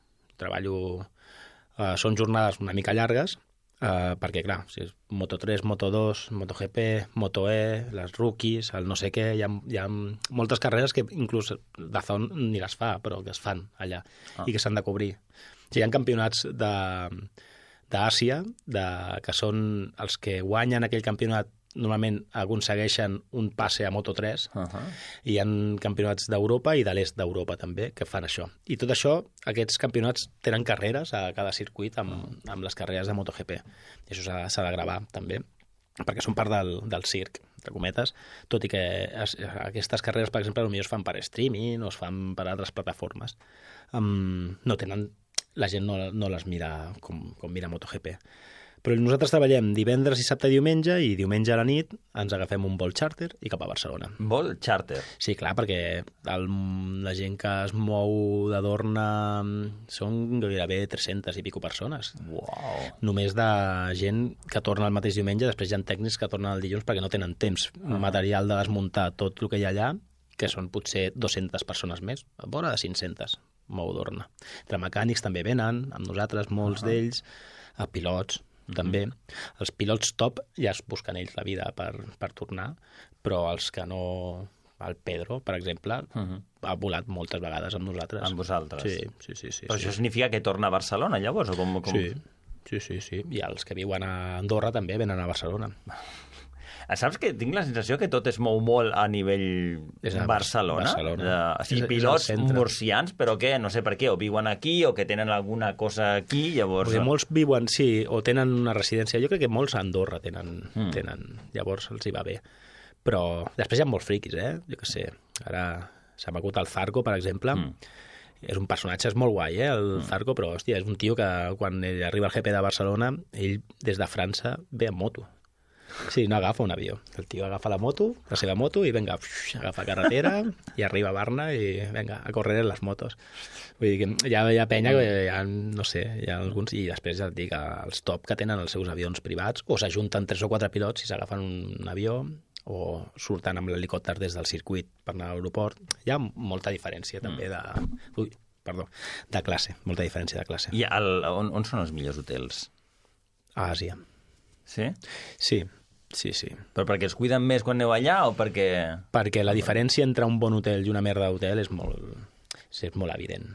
Són jornades una mica llargues, perquè, clar, si és Moto3, Moto2, MotoGP, Moto E, les rookies, el no sé què, hi ha moltes carreres que inclús Dazón ni les fa, però que es fan allà i que s'han de cobrir. O sigui, hi ha campionats d'Àsia, que són els que guanyen aquell campionat, normalment aconsegueixen un passe a Moto3, i hi ha campionats d'Europa i de l'est d'Europa també que fan això. I tot això, aquests campionats tenen carreres a cada circuit amb les carreres de MotoGP. I això s'ha de gravar també, perquè són part del circ, entre cometes, tot i que aquestes carreres, per exemple, potser es fan per streaming o es fan per altres plataformes. No tenen... La gent no les mira com mira MotoGP. Però nosaltres treballem divendres, dissabte i diumenge a la nit ens agafem un vol charter i cap a Barcelona. Vol charter? Sí, clar, perquè la gent que es mou de Dorna són gairebé 300 i pico persones. Uau! Només de gent que torna el mateix diumenge, després hi ha tècnics que tornen el dilluns perquè no tenen temps material de desmuntar tot el que hi ha allà, que són potser 200 persones més, a vora de 500 mou Dorna. Entre mecànics també venen, amb nosaltres, molts d'ells, pilots, també. Els pilots top ja es busquen ells la vida per tornar, però els que no... El Pedro, per exemple, ha volat moltes vegades amb nosaltres. Amb vosaltres? Sí. Però això significa que torna a Barcelona, llavors? O com... Sí. I els que viuen a Andorra també venen a Barcelona. Saps que tinc la sensació que tot es mou molt a nivell Barcelona? Sí, pilots murcians, però què? No sé per què, o viuen aquí o que tenen alguna cosa aquí, llavors... Perquè molts viuen, sí, o tenen una residència. Jo crec que molts a Andorra tenen, llavors els hi va bé. Però després hi ha molts friquis, Jo què sé, ara s'ha m'acut el Zarco, per exemple. És un personatge, és molt guai, el Zarco, però, hòstia, és un tio que quan arriba al GP de Barcelona, ell des de França ve en moto. Sí, no agafa un avió. El tio agafa la seva moto, i venga, agafa carretera i arriba a Barna i venga, a córrer les motos. Vull dir que hi ha penya que no sé, hi ha alguns, i després ja et dic, els top que tenen els seus avions privats, o s'ajunten 3 o 4 pilots i s'agafen un avió, o surten amb l'helicòpter des del circuit per anar a l'aeroport. Hi ha molta diferència també de classe, molta diferència de classe. I on són els millors hotels? A Àsia. Sí? Sí. Però perquè es cuiden més quan aneu allà o perquè... Perquè la diferència entre un bon hotel i una merda d'hotel és molt evident.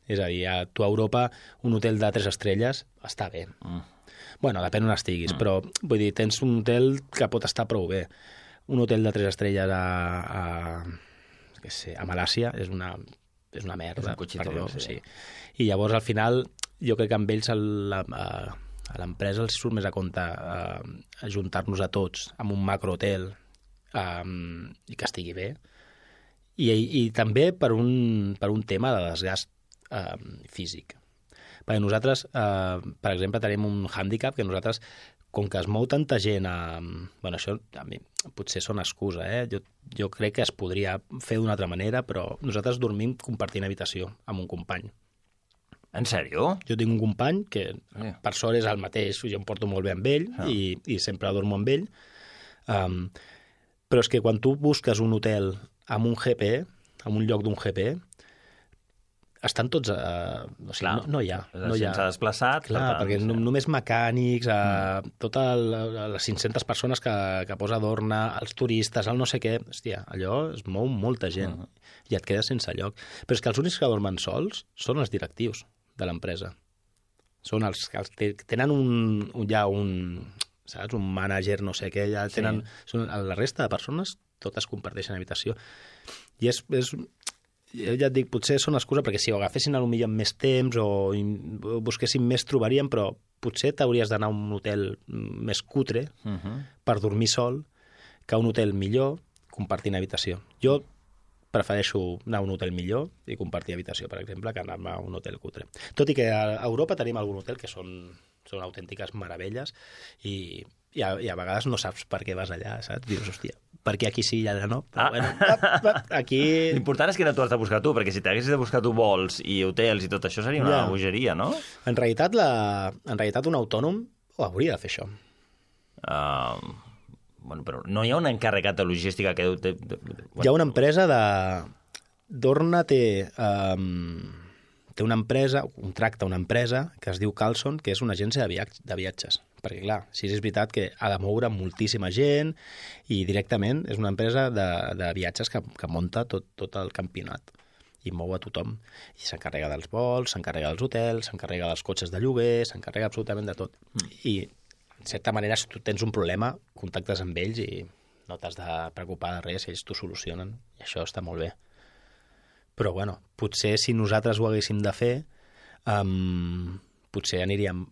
És a dir, tu a Europa un hotel de 3 estrelles està bé. Bueno, depèn on estiguis, però vull dir, tens un hotel que pot estar prou bé. Un hotel de 3 estrelles a Malàsia és una merda. És un perdó, sí. I llavors, al final, jo crec que amb ells a l'empresa els surt més a compte ajuntar-nos a tots en un macrohotel i que estigui bé. I també per un tema de desgast físic. Perquè nosaltres, per exemple, tenim un hàndicap que nosaltres, com que es mou tanta gent bueno, això a mi potser són excusa, Jo crec que es podria fer d'una altra manera, però nosaltres dormim compartint habitació amb un company. En sèrio? Jo tinc un company que per sort és el mateix, jo em porto molt bé amb ell i sempre dormo amb ell, però és que quan tu busques un hotel amb un GP, en un lloc d'un GP, estan tots... o sigui, no hi ha. S'ha desplaçat. Clar, perquè només mecànics, totes les 500 persones que posa Dorna, els turistes, el no sé què... Hòstia, allò es mou molta gent i et quedes sense lloc. Però és que els únics que dormen sols són els directius de l'empresa. Són els que tenen saps, un mànager, no sé què, ja tenen... La resta de persones totes comparteixen habitació. I ja et dic, potser són excusa, perquè si ho agafessin potser amb més temps o busquessin més, trobaríem, però potser t'hauries d'anar a un hotel més cutre per dormir sol que a un hotel millor compartint habitació. Jo prefereixo anar a un hotel millor i compartir habitació, per exemple, que anar a un hotel cutre. Tot i que a Europa tenim algun hotel que són autèntiques meravelles i a vegades no saps per què vas allà, saps? Dius, hòstia, per què aquí sí i allà no? Però bueno, aquí... L'important és que no t'ho has de buscar tu, perquè si t'haguessis de buscar tu vols i hotels i tot això seria una bogeria, no? En realitat un autònom ho hauria de fer això. Bueno, però no hi ha un encarregat de logística que... Hi ha una empresa de... Dorna té una empresa, contracta una empresa que es diu Carlson, que és una agència de viatges. Perquè, clar, si és veritat que ha de moure moltíssima gent i directament és una empresa de viatges que munta tot el campionat i mou a tothom. I s'encarrega dels vols, s'encarrega dels hotels, s'encarrega dels cotxes de lloguer, s'encarrega absolutament de tot. I, en certa manera, si tu tens un problema, contactes amb ells i no t'has de preocupar de res, ells t'ho solucionen. I això està molt bé. Però, bueno, potser si nosaltres ho haguéssim de fer, potser aniríem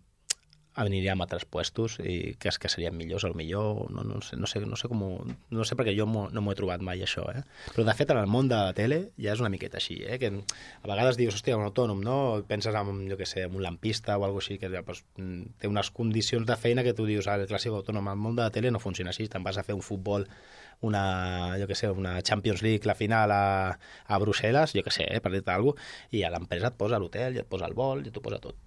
a altres puestos i que serien millors, millor, no sé perquè jo no m'ho he trobat mai això, Però de fet en el món de la tele ja és una miqueta així, que a vegades dius, hòstia, un autònom, no? Penses en, jo què sé, en un lampista o alguna cosa així, que pues, té unes condicions de feina que tu dius, el clàssic autònom, el món de la tele no funciona així, te'n vas a fer un futbol, una Champions League, la final a Brussel·les, jo què sé, per dir-te alguna cosa, i a l'empresa et posa l'hotel, i et posa el vol, i t'ho posa tot.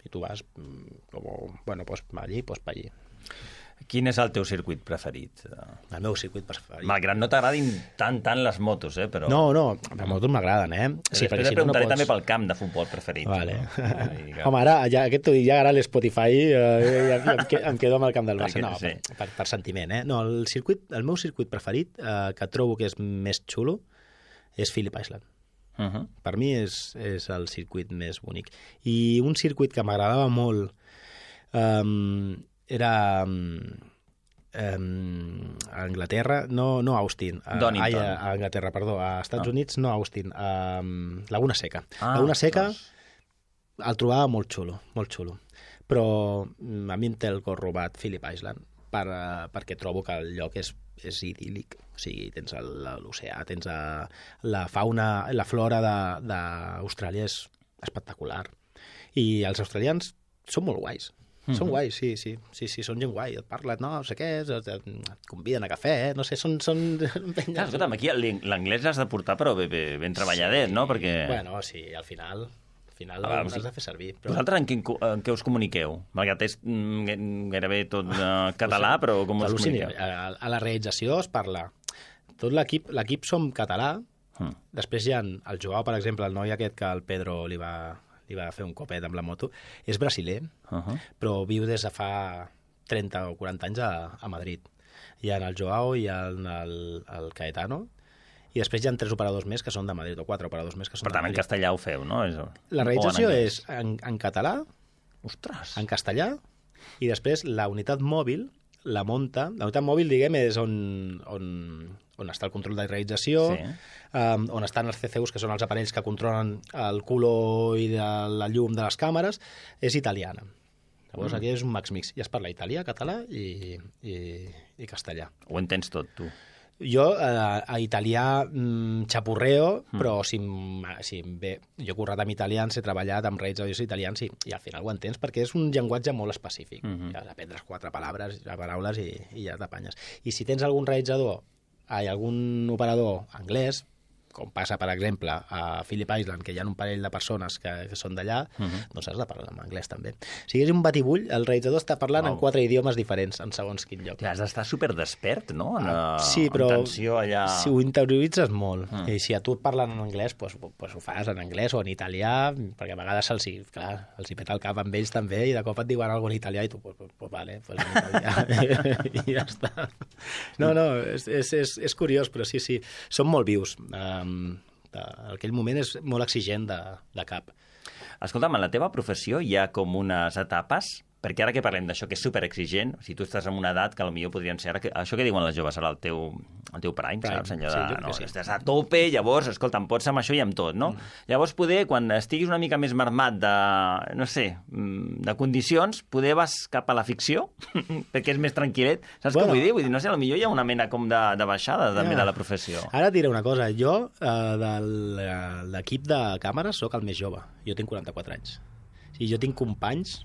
I tu vas, pues allí, pues per allí. Quin és el teu circuit preferit? El meu circuit preferit. Malgrat no t'agradin tant les motos, però... No, les motos m'agraden, Sí, després preguntaré també pel camp de futbol preferit. Vale. Home, ara, ja ara l'Spotify em quedo amb el camp del Barça. No, sí. per sentiment, No, el meu circuit preferit, que trobo que és més xulo, és Phillip Island. Per mi és el circuit més bonic. I un circuit que m'agradava molt era a Anglaterra, no Austin, a Anglaterra, perdó, a Estats Units, no Austin, a Laguna Seca. Laguna Seca el trobava molt xulo, però a mi em té el cor robat Phillip Island, perquè trobo que el lloc és idíl·lic. O sigui, tens l'oceà, tens la fauna, la flora d'Austràlia és espectacular. I els australians són molt guais. Són guais, sí, són gent guai. Et parlen, no sé què, et conviden a cafè, no sé, són... Clar, escolta'm, aquí l'anglès l'has de portar, però ben treballadet, no? Perquè... Bueno, sí, al final l'has de fer servir. Però... Vosaltres en què us comuniqueu? Malgrat és gairebé tot català, però com us comuniqueu? A la realització es parla. Tot l'equip som català. Després hi ha el Joao, per exemple, el noi aquest que el Pedro li va fer un copet amb la moto, és brasiler, però viu des de fa 30 o 40 anys a Madrid. Hi ha el Joao, hi ha el Caetano, i després hi ha 3 operadors més que són de Madrid, o 4 operadors més que són de Madrid. Per tant, en castellà ho feu, no? La realització és en català, ostres, en castellà, i després la unitat mòbil la munta. La unitat mòbil, diguem, és on està el control de realització, on estan els CCUs, que són els aparells que controlen el color i la llum de les càmeres, és italiana. Llavors aquí és un mix. I es parla italià, català i castellà. Ho entens tot, tu? Jo, a italià, xapurreo, però si em ve... Jo he currat amb italians, he treballat amb realitzadors italians i al final ho entens, perquè és un llenguatge molt específic. Ja aprendres 4 paraules i ja t'apanyes. I si tens algun realitzador, algun operador anglès, com passa, per exemple, a Phillip Island, que hi ha un parell de persones que són d'allà, doncs has de parlar en anglès també. O sigui, és un batibull, el realitzador està parlant en 4 idiomes diferents, en segons quin lloc. Has d'estar superdespert, no? Sí, però allà... si ho interioritzes molt, i si a tu et parlen en anglès, doncs ho fas en anglès o en italià, perquè a vegades els peta el cap amb ells també, i de cop et diuen alguna cosa en italià, i tu, pues vale, pues en italià, i ja està. No, és curiós, però sí, són molt vius. Aquell moment és molt exigent de cap. Escolta'm, en la teva professió hi ha com unes etapes, perquè ara que parlem d'això que és superexigent, si tu estàs en una edat que potser podrien ser... Això que diuen les joves ara, el teu prime, saps? Estàs a tope, llavors, escolta, em pots amb això i amb tot, no? Llavors, poder, quan estiguis una mica més marmat de condicions, poder vas cap a la ficció, perquè és més tranquil·let. Saps què vull dir? Vull dir, no sé, potser hi ha una mena com de baixada també de la professió. Ara et diré una cosa. Jo, de l'equip de càmeres, sóc el més jove. Jo tinc 44 anys. I jo tinc companys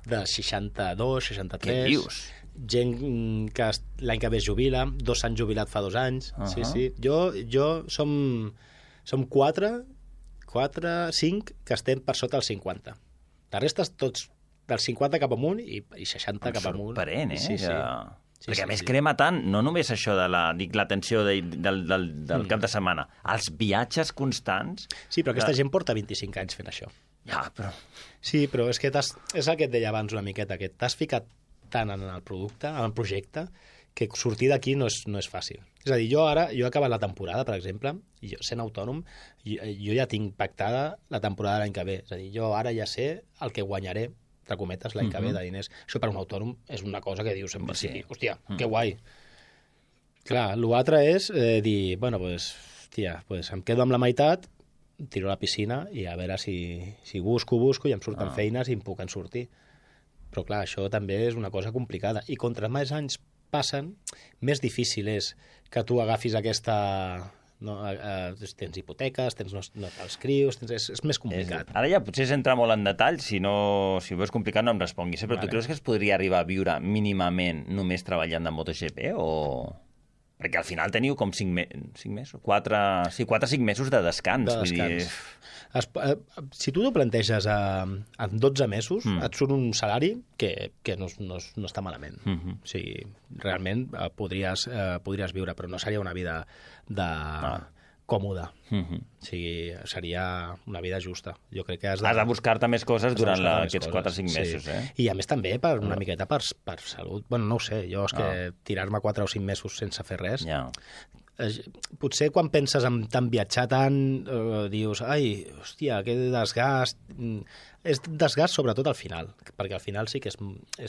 de 62, 63... Què dius? Gent que l'any que ve es jubila, 2 s'han jubilat fa 2 anys. Sí. Jo som 4, 5 que estem per sota dels 50. La resta tots dels 50 cap amunt i 60 cap amunt. Sorprèn, Sí. Perquè a més crema tant, no només això de la tensió del cap de setmana, els viatges constants... Sí, però aquesta gent porta 25 anys fent això. Ja, però... Sí, però és que és el que et deia abans una miqueta, que t'has ficat tant en el producte, en el projecte, que sortir d'aquí no és fàcil. És a dir, jo he acabat la temporada, per exemple, i jo, sent autònom, jo ja tinc pactada la temporada l'any que ve. És a dir, jo ara ja sé el que guanyaré, entre cometes, l'any que ve de diners. Això per un autònom és una cosa que dius en principi, hòstia, que guai. Clar, l'altre és dir, bueno, pues em quedo amb la meitat, tiro a la piscina i a veure si busco i em surten feines i em puc en sortir. Però clar, això també és una cosa complicada. I contra més anys passen, més difícil és que tu agafis aquesta... tens hipoteques, tens els crios, és més complicat. Ara ja potser s'entra molt en detall, si ho veus complicat no em responguis, però tu creus que es podria arribar a viure mínimament només treballant de MotoGP o... Perquè al final teniu com 5 mesos, 4-5 mesos de descans. Vull dir... Si tu t'ho planteges en 12 mesos, et surt un salari que no està malament. O sigui, realment podries viure, però no seria una vida còmoda. O sigui, seria una vida justa. Jo crec que has de buscar-te més coses durant aquests 4-5 mesos. I a més també una miqueta per salut. Bueno, no ho sé, jo és que tirar-me 4 o 5 mesos sense fer res... Potser quan penses en tant viatjar tant, dius, ai, hòstia, que desgast... És desgast sobretot al final, perquè al final sí que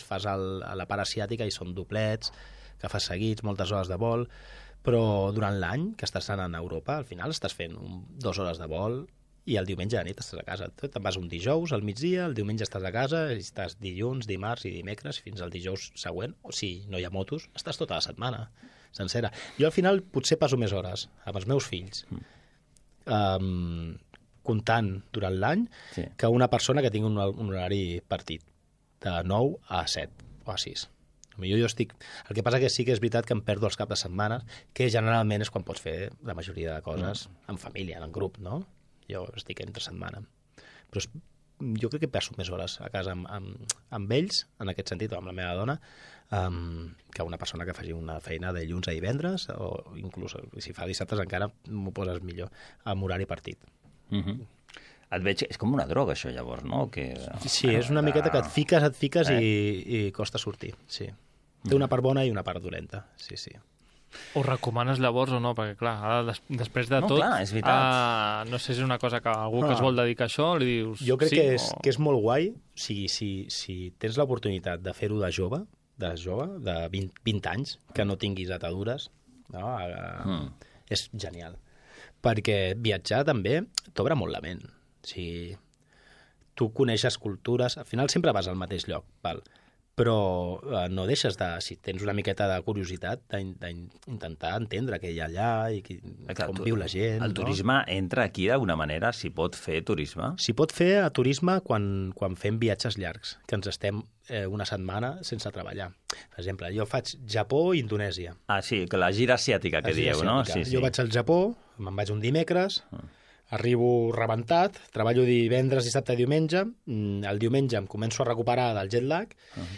fas a la part asiàtica i són doblets, que fas seguits, moltes hores de vol, però durant l'any que estàs anant a Europa, al final estàs fent 2 hores de vol i el diumenge de nit estàs a casa. Te'n vas un dijous al migdia, el diumenge estàs a casa, i estàs dilluns, dimarts i dimecres fins al dijous següent, o si no hi ha motos, estàs tota la setmana sencera. Jo al final potser passo més hores amb els meus fills comptant durant l'any que una persona que tingui un horari partit de 9 a 7 o a 6. Jo estic... El que passa que sí que és veritat que em perdo els caps de setmana, que generalment és quan pots fer la majoria de coses en família, en grup, no? Jo estic entre setmana. Però jo crec que passo més hores a casa amb ells, en aquest sentit, o amb la meva dona, que una persona que faci una feina de dilluns a divendres, o inclús si fa dissabtes encara m'ho poses millor, amb horari partit. Et veig, és com una droga això llavors, no? Sí, és una miqueta que et fiques i costa sortir, sí. Té una part bona i una part dolenta, sí. Ho recomanes llavors o no? Perquè, clar, ara, després de tot... Clar, és veritat. No sé si és una cosa que algú que es vol dedicar a això li dius... Jo crec que és molt guai si tens l'oportunitat de fer-ho de jove, de 20 anys, que no tinguis atadures, no? És genial. Perquè viatjar també t'obre molt la ment. Si tu coneixes cultures, al final sempre vas al mateix lloc, val? Però no deixes de, si tens una miqueta de curiositat, d'intentar entendre què hi ha allà i com viu la gent. El turisme entra aquí d'alguna manera? S'hi pot fer turisme? S'hi pot fer turisme quan fem viatges llargs, que ens estem una setmana sense treballar. Per exemple, jo faig Japó i Indonèsia. Ah, sí, que la gira asiàtica que dieu, no? Sí. Jo vaig al Japó, me'n vaig un dimecres, arribo rebentat, treballo divendres, dissabte i diumenge, el diumenge em començo a recuperar del jet lag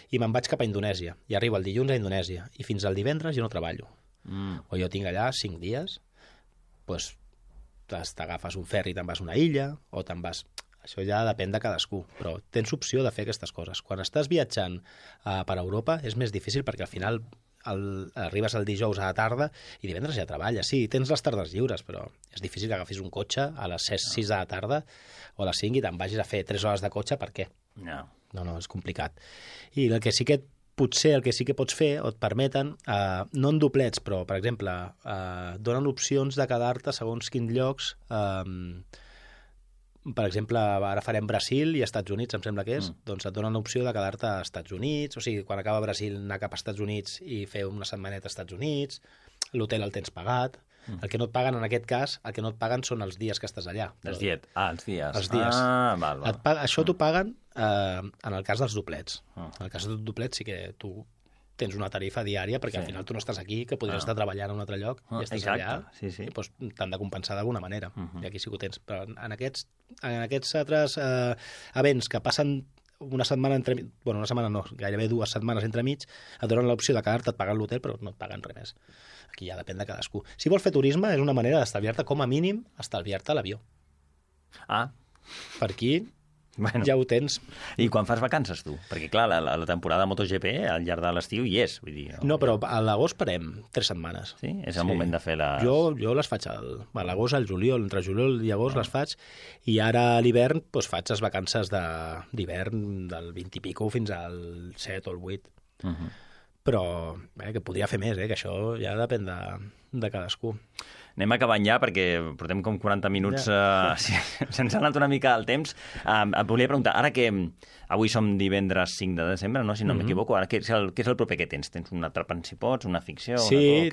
i me'n vaig cap a Indonèsia. I arribo el dilluns a Indonèsia i fins al divendres jo no treballo. O jo tinc allà 5 dies, doncs t'agafes un ferri i te'n vas a una illa, o te'n vas... Això ja depèn de cadascú, però tens opció de fer aquestes coses. Quan estàs viatjant per Europa és més difícil perquè al final arribes el dijous a la tarda i divendres ja treballes. Sí, tens les tardes lliures, però és difícil que agafis un cotxe a les 6 de la tarda o a les 5 i te'n vagis a fer 3 hores de cotxe, per què? No, és complicat. I el que sí que pots fer, o et permeten, no en doblets, però, per exemple, donen opcions de quedar-te segons quins llocs. Per exemple, ara farem Brasil i Estats Units, em sembla que és, doncs et donen l'opció de quedar-te a Estats Units, o sigui, quan acaba Brasil anar cap a Estats Units i fer una setmaneta als Estats Units, l'hotel el tens pagat. El que no et paguen en aquest cas, el que no et paguen són els dies que estàs allà. Els dies. Els dies. Val. Això t'ho paguen en el cas dels doblets. En el cas dels doblets sí que tu tens una tarifa diària, perquè al final tu no estàs aquí, que podries estar treballant a un altre lloc, i estàs allà, i doncs t'han de compensar d'alguna manera. I aquí sí que ho tens. Però en aquests altres events que passen una setmana una setmana no, gairebé 2 setmanes entremig, et donen l'opció de quedar-te, et paguen l'hotel, però no et paguen res més. Aquí ja depèn de cadascú. Si vols fer turisme, és una manera d'estalviar-te, com a mínim, estalviar-te l'avió. Per aquí ja ho tens. I quan fas vacances, tu? Perquè, clar, la temporada MotoGP al llarg de l'estiu hi és. Vull dir, no, però a l'agost parem 3 setmanes. Sí? És el moment de fer les... Jo les faig a l'agost, al juliol, entre juliol i agost les faig, i ara a l'hivern doncs, faig les vacances d'hivern del 20 i pico fins al 7 o el 8. Però que podria fer més, que això ja depèn de cadascú. Anem acabant ja, perquè portem com 40 minuts... Se'ns ha anat una mica el temps. Et volia preguntar, ara que avui som divendres 5 de desembre, no? Si no m'equivoco, ara què és el proper que tens? Tens una atrapant si pots, una ficció? Sí,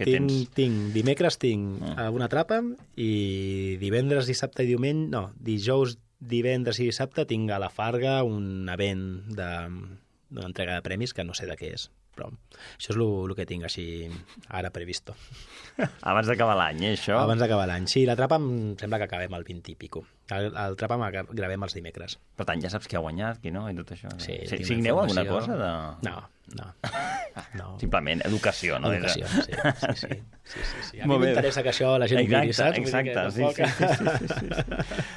dimecres tinc una atrapa i divendres, dissabte i diumenge... No, dijous, divendres i dissabte tinc a la Farga un event d'una entrega de premis que no sé de què és. Però això és el que tinc així ara previsto. Abans d'acabar l'any, això? Abans d'acabar l'any, sí. La trapa em sembla que acabem el 20 i pico. El trapa gravem els dimecres. Per tant, ja saps qui ha guanyat, qui no, i tot això. Sí, signeu alguna cosa? No. Simplement educació, no? Educació, sí. A mi m'interessa que això la gent ho miri, saps? Exacte, sí.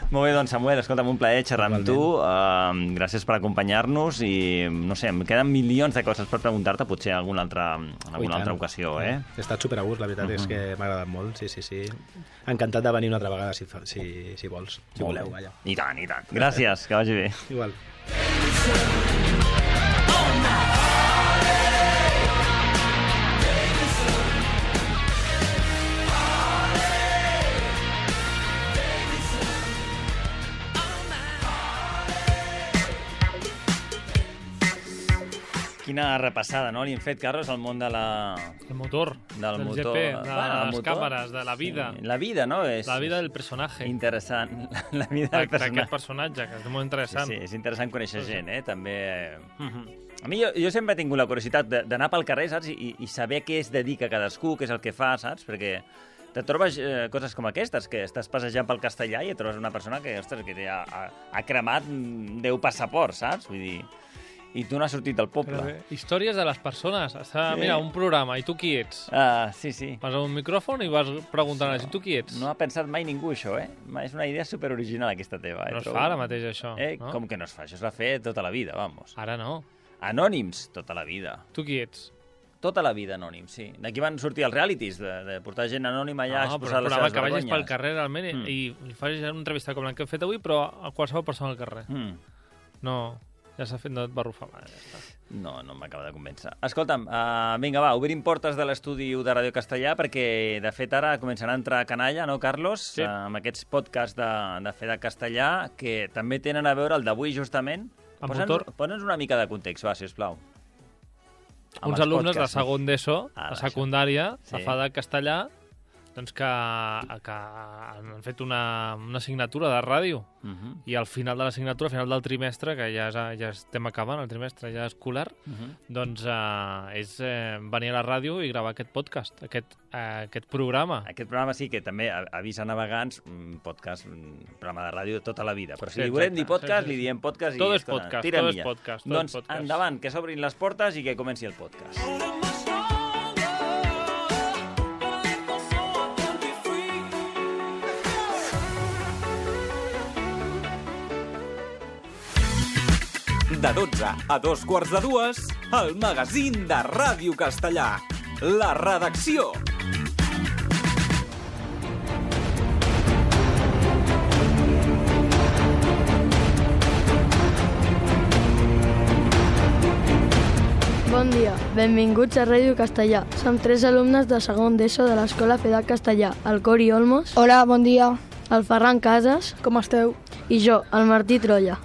Molt bé, doncs, Samuel, escolta'm, un plaer xerrar amb tu. Gràcies per acompanyar-nos i, no sé, em queden milions de coses per preguntar-te, potser en alguna altra ocasió, He estat super a gust, la veritat és que m'ha agradat molt, sí. Encantat de venir una altra vegada, si vols, si voleu, vaja. I tant. Gràcies, que vagi bé. Igual. Quina repassada, no? Li hem fet, Carlos, al món del motor, del GP, de les càmeres, de la vida. Sí. La vida, no? La vida del personatge. Interessant. La vida del personatge. D'aquest personatge, que és molt interessant. Sí, és interessant conèixer gent, També... A mi jo sempre he tingut la curiositat d'anar pel carrer, saps? I saber què es dedica cadascú, què és el que fa, saps? Perquè te trobes coses com aquestes, que estàs passejant pel Castellà i et trobes una persona que ha cremat 10 passaports, saps? Vull dir... I tu no has sortit del poble. Històries de les persones. Mira, un programa, i tu qui ets? Sí. Vas a un micròfon i vas preguntant i tu qui ets? No ha pensat mai ningú, això, És una idea superoriginal, aquesta teva. No es fa ara mateix, això. No? Com que no es fa? Això es va fer tota la vida, vamos. Ara no. Anònims, tota la vida. Tu qui ets? Tota la vida anònim, sí. D'aquí van sortir els realities, de portar gent anònima allà a exposar les seves vergonyes. Que vagis pel carrer realment i facis una entrevista com la que hem fet avui, però a qualsevol persona al carrer. No, ja s'ha fet, no et va rufar mai. No m'acaba de convèncer. Escolta'm, vinga, va, obrim portes de l'estudi de Ràdio Castellà, perquè, de fet, ara començarà a entrar canalla, no, Carlos? Sí. Amb aquests podcasts de fer de castellà, que també tenen a veure el d'avui, justament. Posa'ns una mica de context, va, sisplau. Uns alumnes de segon d'ESO, a secundària, a fa de castellà, doncs que han fet una assignatura de ràdio. I al final de l'assignatura, al final del trimestre, que ja estem acabant el trimestre ja escolar, doncs és venir a la ràdio i gravar aquest podcast, aquest programa. Aquest programa sí que també avisa navegants, podcast, programa de ràdio tota la vida. Però si li volem dir podcast, li diem podcast i... Tot és podcast, tot és podcast. Doncs endavant, que s'obrin les portes i que comenci el podcast. De 12 a 2:45, el magazín de Ràdio Castellà. La redacció. Bon dia, benvinguts a Ràdio Castellà. Som 3 alumnes de segon d'ESO de l'Escola FEDAC Castellà, el Cori Olmos. Hola, bon dia. El Ferran Casas. Com esteu? I jo, el Martí Trolla.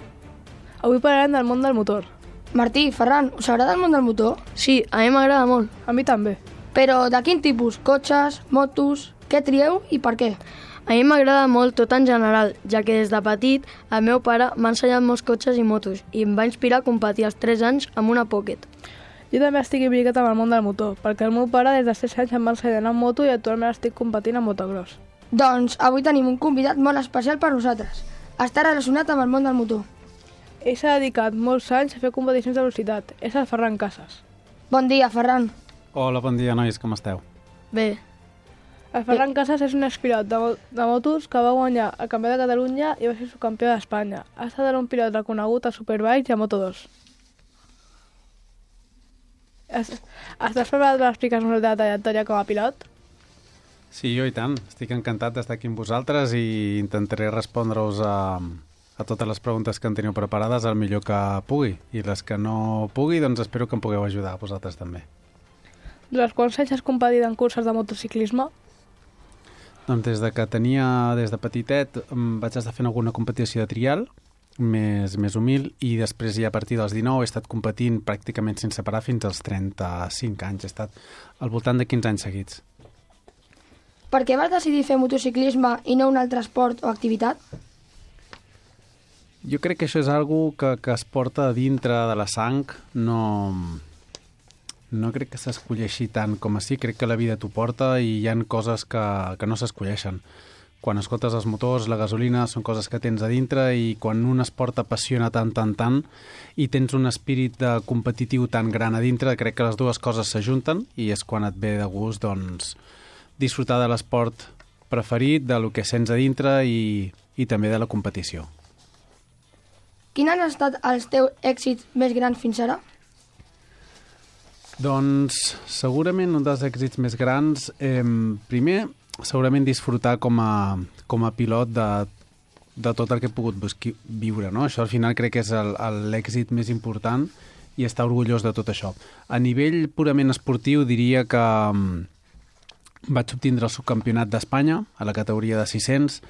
Avui parlarem del món del motor. Martí, Ferran, us agrada el món del motor? Sí, a mi m'agrada molt. A mi també. Però de quin tipus? Cotxes, motos... Què trieu i per què? A mi m'agrada molt tot en general, ja que des de petit el meu pare m'ha ensenyat molts cotxes i motos i em va inspirar a competir als 3 anys amb una Pocket. Jo també estic implicat amb el món del motor, perquè el meu pare des de 6 anys em va ensenyar en moto i actualment estic competint en motocross. Doncs avui tenim un convidat molt especial per nosaltres. Està relacionat amb el món del motor. Ell s'ha dedicat molts anys a fer competicions de velocitat. És el Ferran Casas. Bon dia, Ferran. Hola, bon dia, nois, com esteu? Bé. El Ferran Casas és un expilot de motos que va guanyar el Campionat de Catalunya i va ser subcampió d'Espanya. Ha estat un pilot reconegut a Superbikes i a Moto2. Estàs preparat per explicar-nos la trajectòria com a pilot? Sí, jo i tant. Estic encantat d'estar aquí amb vosaltres i intentaré respondre-us a totes les preguntes que en teniu preparades el millor que pugui. I les que no pugui, doncs espero que em pugueu ajudar a vosaltres també. Durant quants anys has competit en curses de motociclisme? Doncs des de petitet vaig estar fent alguna competició de trial, més humil, i després ja a partir dels 19 he estat competint pràcticament sense parar fins als 35 anys. He estat al voltant de 15 anys seguits. Per què vas decidir fer motociclisme i no un altre esport o activitat? Jo crec que això és algo que es porta dintre de la sang. No crec que s'escolleixi tant com així. Crec que la vida t'ho porta i hi ha coses que no s'escolleixen. Quan escoltes els motors, la gasolina, són coses que tens a dintre, i quan un esport t'apassiona tant i tens un espírit competitiu tan gran a dintre, crec que les dues coses s'ajunten i és quan et ve de gust doncs, disfrutar de l'esport preferit, de lo que sents a dintre i també de la competició. Quins han estat els teus èxits més grans fins ara? Doncs segurament un dels èxits més grans, primer, segurament disfrutar com a pilot de tot el que he pogut viure, no? Això al final crec que és l'èxit més important i estar orgullós de tot això. A nivell purament esportiu diria que vaig obtindre el subcampionat d'Espanya a la categoria de 600.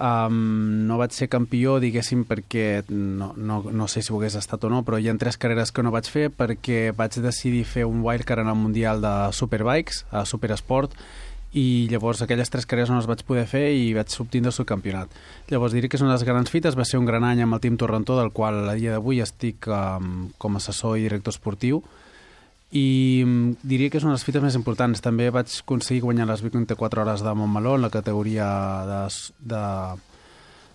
No vaig ser campió, diguéssim, perquè no sé si ho hagués estat o no, però hi ha 3 carreres que no vaig fer perquè vaig decidir fer un wildcard en el Mundial de Superbikes, a Superesport, i llavors aquelles 3 carreres no les vaig poder fer i vaig obtindre el subcampionat. Llavors diria que és una de les grans fites, va ser un gran any amb el Team Torrentó, del qual a dia d'avui estic com a assessor i director esportiu, i diria que és una de les fites més importants. També vaig aconseguir guanyar les 24 hores de Montmeló en la categoria de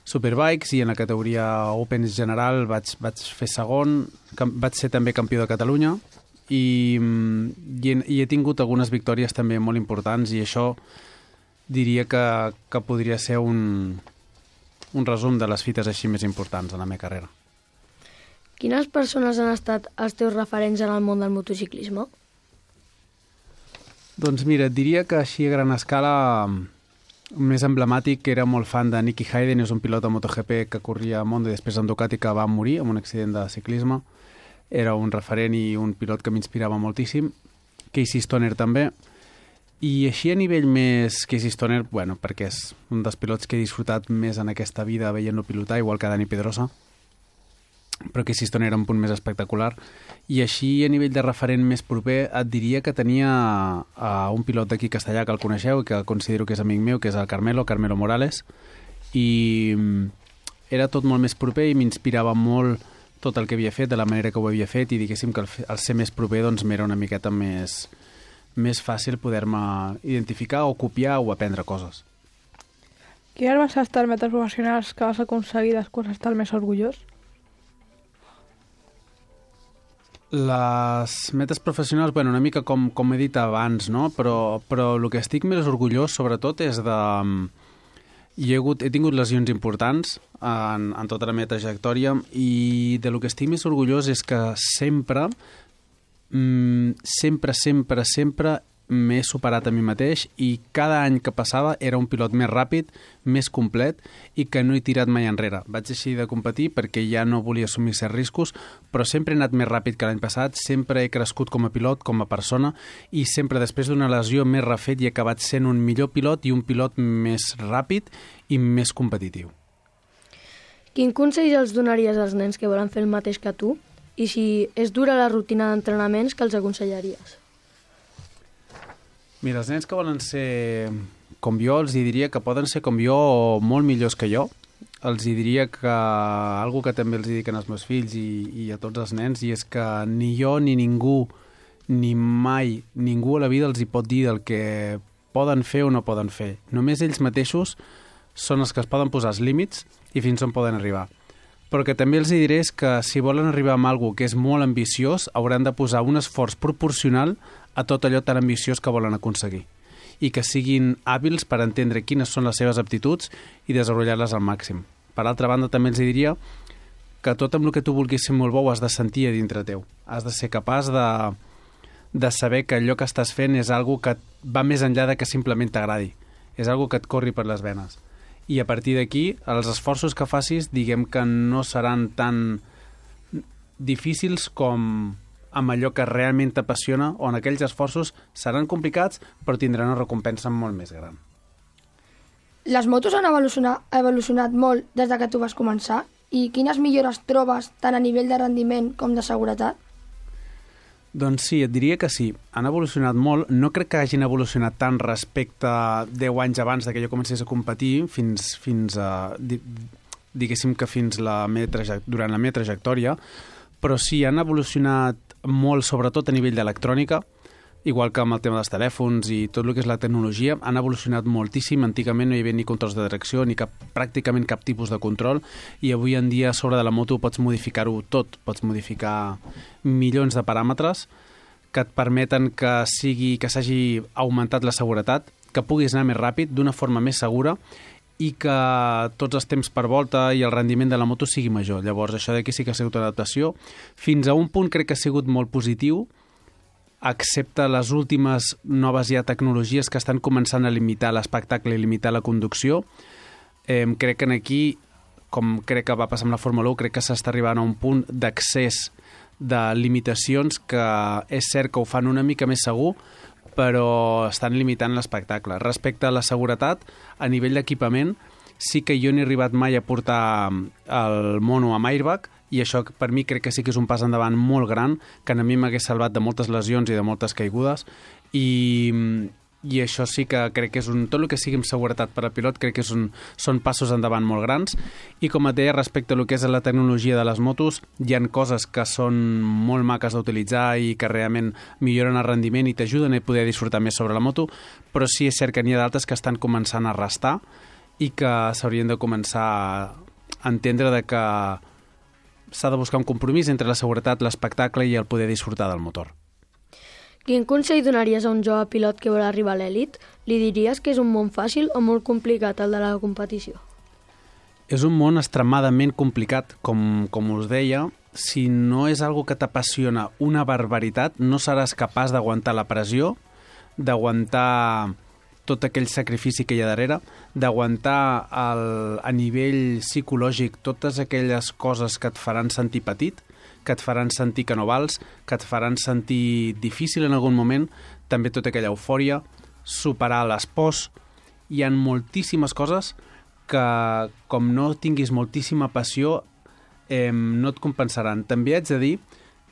Superbikes, i en la categoria Opens general vaig fer segon, vaig ser també campió de Catalunya, i he tingut algunes victòries també molt importants, i això diria que podria ser un resum de les fites així més importants en la meva carrera. Quines persones han estat els teus referents en el món del motociclisme? Doncs mira, et diria que així a gran escala més emblemàtic, que era molt fan de Nicky Hayden, és un pilot de MotoGP que corria a Mondo i després en Ducati, que va morir en un accident de ciclisme. Era un referent i un pilot que m'inspirava moltíssim. Casey Stoner també. I així a nivell més Casey Stoner, bueno, perquè és un dels pilots que he disfrutat més en aquesta vida veient-lo pilotar, igual que Dani Pedrosa, però Casey Stoner era un punt més espectacular. I així a nivell de referent més proper et diria que tenia un pilot d'aquí castellà que el coneixeu i que considero que és amic meu, que és el Carmelo Morales, i era tot molt més proper i m'inspirava molt tot el que havia fet, de la manera que ho havia fet, i diguéssim que al ser més proper doncs m'era una miqueta més fàcil poder-me identificar o copiar o aprendre coses. Quines van ser les metes professionals que vas aconseguir després d'estar més orgullós? Les metes professionals, bueno, una mica com he dit abans, no? Però el que estic més orgullós, sobretot, és de... He tingut lesions importants en tota la meva trajectòria, i de lo que estic més orgullós és que sempre m'he superat a mi mateix, i cada any que passava era un pilot més ràpid, més complet, i que no he tirat mai enrere. Vaig deixar de competir perquè ja no volia assumir certs riscos, però sempre he anat més ràpid que l'any passat, sempre he crescut com a pilot, com a persona, i sempre després d'una lesió m'he refet i he acabat sent un millor pilot i un pilot més ràpid i més competitiu. Quin consell els donaries als nens que volen fer el mateix que tu? I si és dura la rutina d'entrenaments, que els aconsellaries? Mira, els nens que volen ser com jo, els diria que poden ser com jo o molt millors que jo. Els diria que algo que també els dic als meus fills i a tots els nens, i és que ni jo ni ningú, ni mai ningú a la vida els hi pot dir del que poden fer o no poden fer. Només ells mateixos són els que es poden posar els límits i fins on poden arribar. Però que també els diré és que si volen arribar a alguna cosa que és molt ambiciós, hauran de posar un esforç proporcional a tot allò tan ambiciós que volen aconseguir, i que siguin hàbils per entendre quines són les seves aptituds i desenvolupar-les al màxim. Per altra banda, també els diria que tot amb el que tu vulguis ser molt bo ho has de sentir a dintre teu. Has de ser capaç de saber que allò que estàs fent és algo que va més enllà de que simplement t'agradi. És algo que et corri per les venes. I a partir d'aquí, els esforços que facis, diguem que no seran tan difícils com amb allò que realment t'apassiona, on aquells esforços seran complicats, però tindran una recompensa molt més gran. Les motos han evolucionat molt des de que tu vas començar, i quines millores trobes tant a nivell de rendiment com de seguretat? Doncs sí, et diria que sí. Han evolucionat molt. No crec que hagin evolucionat tant respecte a 10 anys abans que jo comencés a competir, fins a, diguéssim que durant la meva trajectòria, però sí, han evolucionat molt, sobretot a nivell d'electrònica, igual que amb el tema dels telèfons i tot el que és la tecnologia. Han evolucionat moltíssim. Antigament no hi havia ni controls de tracció, ni pràcticament cap tipus de control, i avui en dia a sobre de la moto pots modificar-ho tot. Pots modificar milions de paràmetres que et permeten que s'hagi augmentat la seguretat, que puguis anar més ràpid, d'una forma més segura, i que tots els temps per volta i el rendiment de la moto sigui major. Llavors, això d'aquí sí que ha sigut una adaptació. Fins a un punt crec que ha sigut molt positiu, excepte les últimes noves tecnologies que estan començant a limitar l'espectacle i limitar la conducció. Crec que aquí, com crec que va passar amb la Fórmula 1, crec que s'està arribant a un punt d'accés de limitacions que és cert que ho fan una mica més segur, però estan limitant l'espectacle. Respecte a la seguretat, a nivell d'equipament, sí que jo no he arribat mai a portar el mono amb airbag, i això per mi crec que sí que és un pas endavant molt gran, que a mi m'hagués salvat de moltes lesions i de moltes caigudes, i això sí que crec que és tot el que sigui amb seguretat per al pilot, crec que són passos endavant molt grans. I com et deia, respecte a lo que és la tecnologia de les motos, hi ha coses que són molt maques d'utilitzar i que realment milloren el rendiment i t'ajuden a poder disfrutar més sobre la moto, però sí és cert que n'hi ha d'altres que estan començant a restar i que s'haurien de començar a entendre que s'ha de buscar un compromís entre la seguretat, l'espectacle i el poder disfrutar del motor. Quin consell donaries a un jove pilot que vol arribar a l'elit? Li diries que és un món fàcil o molt complicat, el de la competició? És un món extremadament complicat. Com us deia, si no és algo que t'apassiona una barbaritat, no seràs capaç d'aguantar la pressió d'aguantar tot aquell sacrifici que hi ha darrere, d'aguantar a nivell psicològic totes aquelles coses que et faran sentir petit, que et faran sentir que no vals, que et faran sentir difícil en algun moment, també tota aquella eufòria, superar les pors. Hi ha moltíssimes coses que, com no tinguis moltíssima passió, no et compensaran. També haig de dir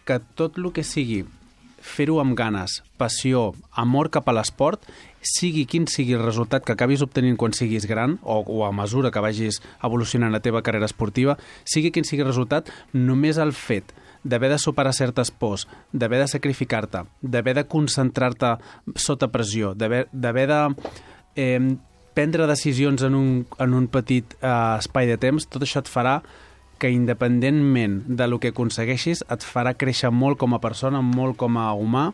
que tot el que sigui fer-ho amb ganes, passió, amor cap a l'esport, sigui quin sigui el resultat que acabis obtenint quan siguis gran o a mesura que vagis evolucionant la teva carrera esportiva, sigui quin sigui el resultat, només el fet d'haver de superar certes pors, d'haver de sacrificar-te, d'haver de concentrar-te sota pressió, d'haver de prendre decisions en un petit espai de temps, tot això et farà que independentment de lo que aconsegueixis et farà créixer molt com a persona, molt com a humà,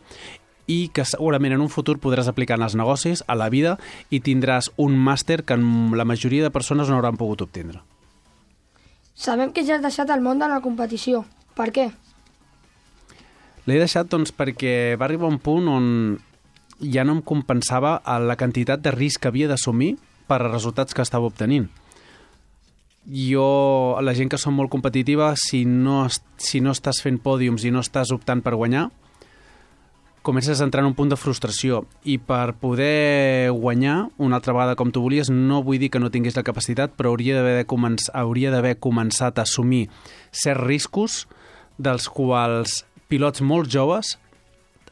i que segurament en un futur podràs aplicar en els negocis, a la vida, i tindràs un màster que la majoria de persones no hauran pogut obtindre. Sabem que ja has deixat el món de la competició. Per què? L'he deixat doncs, perquè va arribar un punt on ja no em compensava la quantitat de risc que havia d'assumir per als resultats que estava obtenint. Jo, la gent que som molt competitiva, si no estàs fent pòdiums i no estàs optant per guanyar, comences a entrar en un punt de frustració, i per poder guanyar una altra vegada com tu volies, no vull dir que no tinguis la capacitat, però hauria d'haver començat a assumir certs riscos dels quals pilots molt joves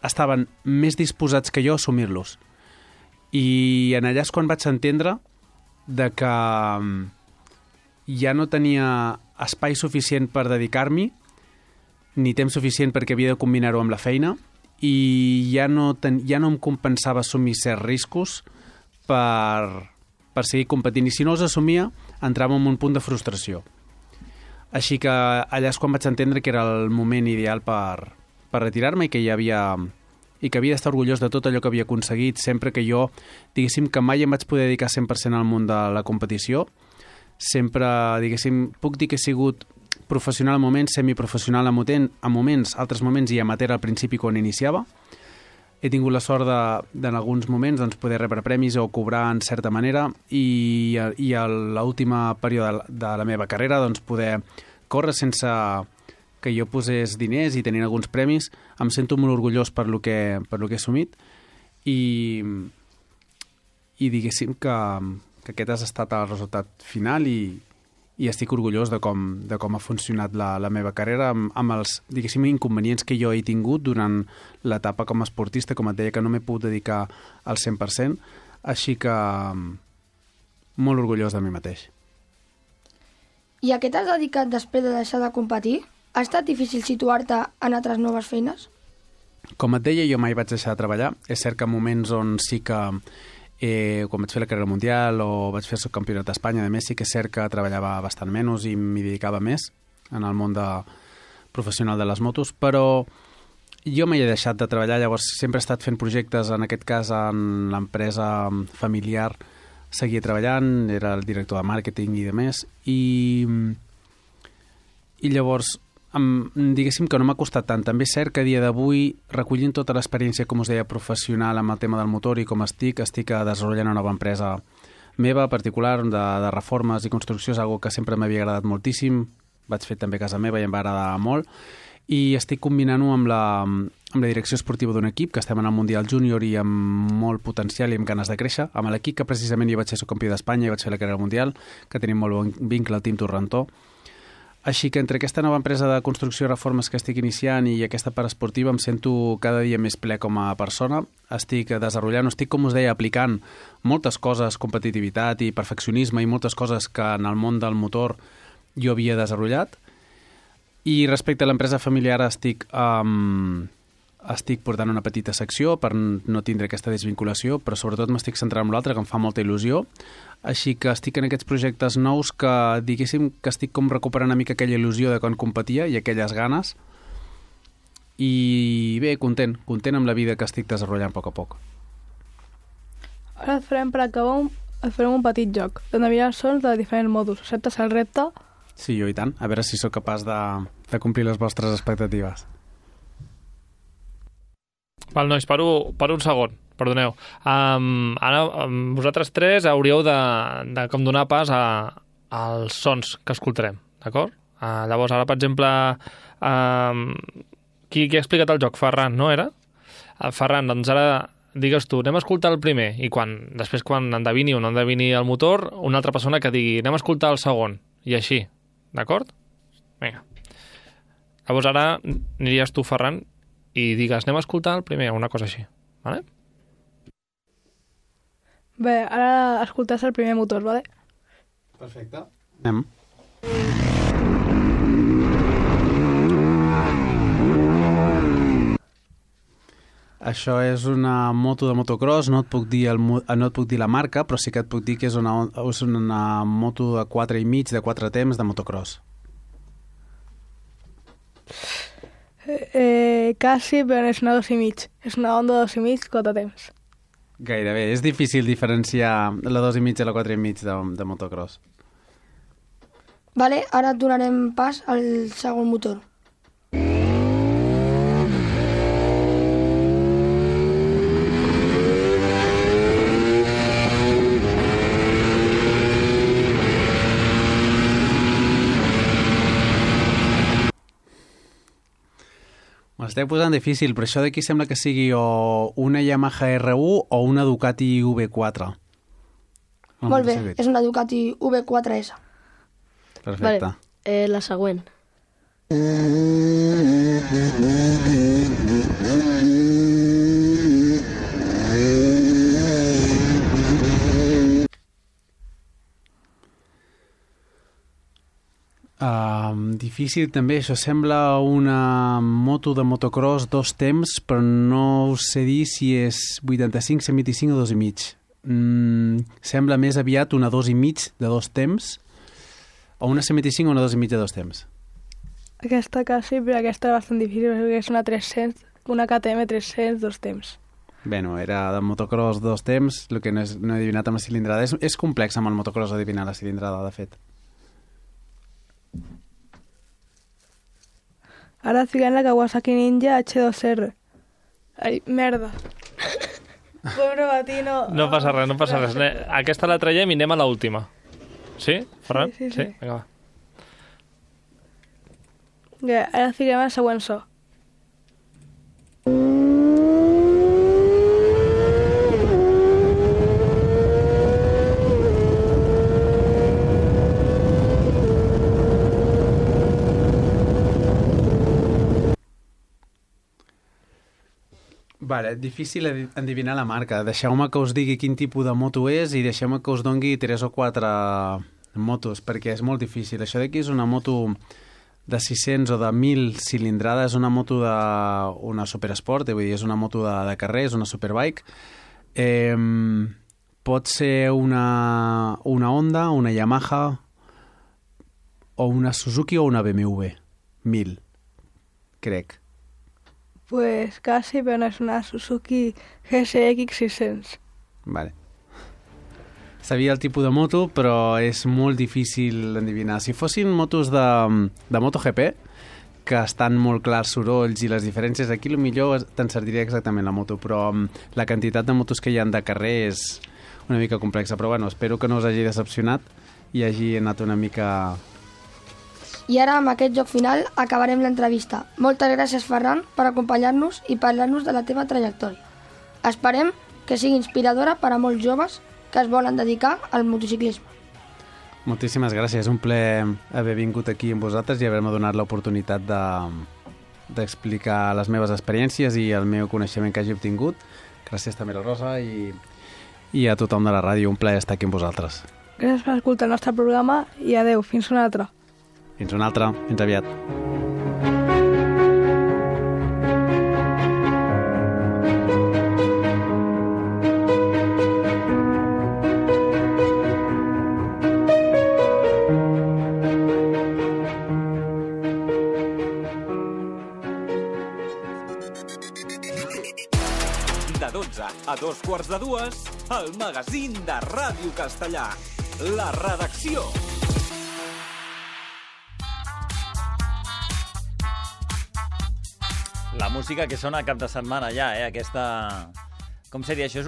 estaven més disposats que jo a assumir-los. I en allà és quan vaig entendre de que ja no tenia espai suficient per dedicar-m'hi, ni temps suficient perquè havia de combinar-ho amb la feina, i ja no em compensava assumir certs riscos per seguir competint. I si no els assumia, entrava en un punt de frustració. Així que allà és quan vaig entendre que era el moment ideal per retirar-me i que d'estar orgullós de tot allò que havia aconseguit. Sempre que jo, diguéssim, que mai em vaig poder dedicar 100% al món de la competició, sempre, diguéssim, puc dir que he sigut professional a moments, semiprofessional a moments, altres moments i amateur al principi quan iniciava. He tingut la sort en alguns moments doncs, poder rebre premis o cobrar en certa manera, i a l'últim període de la meva carrera doncs, poder córrer sense que jo posés diners i tenint alguns premis. Em sento molt orgullós per lo que he assumit, i diguéssim que aquest ha estat el resultat final, i estic orgullós de com ha funcionat la meva carrera amb els, diguéssim, inconvenients que jo he tingut durant l'etapa com a esportista. Com et deia, que no m'he pogut dedicar al 100%, així que molt orgullós de mi mateix. I a què t'has dedicat després de deixar de competir? Ha estat difícil situar-te en altres noves feines? Com et deia, jo mai vaig deixar de treballar. És cert que en moments on sí que quan vaig fer la carrera mundial o vaig fer el campionat d'Espanya, de més, sí que és cert que treballava bastant menys i m'hi dedicava més en el món professional de les motos, però jo mai he deixat de treballar. Llavors sempre he estat fent projectes, en aquest cas en l'empresa familiar seguia treballant, era el director de màrqueting i de més, i llavors diguéssim que no m'ha costat tant. També és cert que a dia d'avui, recollint tota l'experiència, com us deia, professional amb el tema del motor i com estic desenvolupant una nova empresa meva, particular, de reformes i construcció. És una cosa que sempre m'havia agradat moltíssim. Vaig fer també a casa meva i em va agradar molt, i estic combinant-ho amb la direcció esportiva d'un equip que estem en el Mundial Júnior i amb molt potencial i amb ganes de créixer, amb l'equip que precisament jo vaig ser subcampió d'Espanya i vaig fer la carrera mundial, que tenim molt bon vincle al Team Torrentó. Així que entre aquesta nova empresa de construcció i reformes que estic iniciant i aquesta part esportiva em sento cada dia més ple com a persona. Estic desenvolupant, estic, com us deia, aplicant moltes coses, competitivitat i perfeccionisme i moltes coses que en el món del motor jo havia desenvolupat. I respecte a l'empresa familiar estic portant una petita secció per no tindre aquesta desvinculació, però sobretot m'estic centrant en l'altre, que em fa molta il·lusió. Així que estic en aquests projectes nous que, diguéssim, que estic com recuperant una mica aquella il·lusió de quan competia i aquelles ganes. I bé, content amb la vida que estic desenvolupant a poc a poc. Ara et farem, per acabar, et farem un petit joc, d'on mirar sons de diferents modos. Acceptes el repte? Sí, jo i tant. A veure si sóc capaç de complir les vostres expectatives. Val, nois, paro un segon. perdoneu. Ara, vosaltres tres hauríeu de com donar pas als sons que escoltarem, d'acord? Llavors, ara, per exemple, qui ha explicat el joc? Ferran, no era? Ferran, doncs ara digues tu, anem a escoltar el primer, i després quan endevini o no endevini el motor, una altra persona que digui, anem a escoltar el segon, i així, d'acord? Vinga. Llavors ara aniries tu, Ferran, i digues, anem a escoltar el primer, una cosa així, vale? Bé, ara escoltes el primer motor, vale? Perfecte. Anem. Això és una moto de motocross, no et puc dir la marca, però sí que et puc dir que és una moto de 4,5, de 4 temps de motocross. Quasi, però és una 2,5. És una Honda 2,5, 4 temps. Gairebé. És difícil diferenciar la 2,5 i la 4,5 de motocross. Vale, ara donarem pas al segon motor. M'esteu posant difícil, però això d'aquí sembla que sigui o una Yamaha R1 o una Ducati V4. Molt bé, és una Ducati V4S. Perfecte. Vale, la següent. Difícil també, això sembla una moto de motocross 2 temps, però no sé dir si és 85, 125 o 2,5. Sembla més aviat una 2,5 de 2 temps, o una 125 o una 2,5 de 2 temps. Aquesta quasi, però aquesta és bastant difícil, perquè és una 300, una KTM 300, 2 temps. Bé, no, era de motocross 2 temps, el que no he adivinat amb la cilindrada. És complex amb el motocross adivinar la cilindrada, de fet. Ara fiquem la Kawasaki Ninja H2R. Ai, merda. Pobre Batino. No passa res, no passa res. Aquesta la traiem i anem a l'última. Sí, Ferran? Sí. Vinga, va. Ara fiquem el següent so. Vale, difícil endevinar la marca. Deixeu-me que us digui quin tipus de moto és i deixeu-me que us dongui 3 o 4 motos, perquè és molt difícil. Això d'aquí és una moto de 600 o de 1.000 cilindrada, és una moto d'una superesport, vull dir, és una moto de carrer, és una superbike. Pot ser una Honda, una Yamaha, o una Suzuki o una BMW. 1.000, crec. Pues casi, però no és una Suzuki GSX 600. Vale. Sabia el tipus de moto, però és molt difícil d'endevinar. Si fossin motos de MotoGP, que estan molt clars sorolls i les diferències, aquí millor t'encertaria exactament la moto, però la quantitat de motos que hi ha de carrer és una mica complexa. Però bueno, espero que no us hagi decepcionat i hagi anat una mica... I ara, amb aquest joc final, acabarem l'entrevista. Moltes gràcies, Ferran, per acompanyar-nos i parlar-nos de la teva trajectòria. Esperem que sigui inspiradora per a molts joves que es volen dedicar al motociclisme. Moltíssimes gràcies. És un plaer haver vingut aquí amb vosaltres i haver-me donat l'oportunitat d'explicar les meves experiències i el meu coneixement que hagi obtingut. Gràcies també a la Rosa i a tothom de la ràdio. Un plaer estar aquí amb vosaltres. Gràcies per escoltar el nostre programa i adeu, fins una altra. Fins una altra, fins aviat. De 12 a 2:15, el magazín de Ràdio Castellà. La redacció. La música que sona cap de setmana ja, aquesta Com seria això?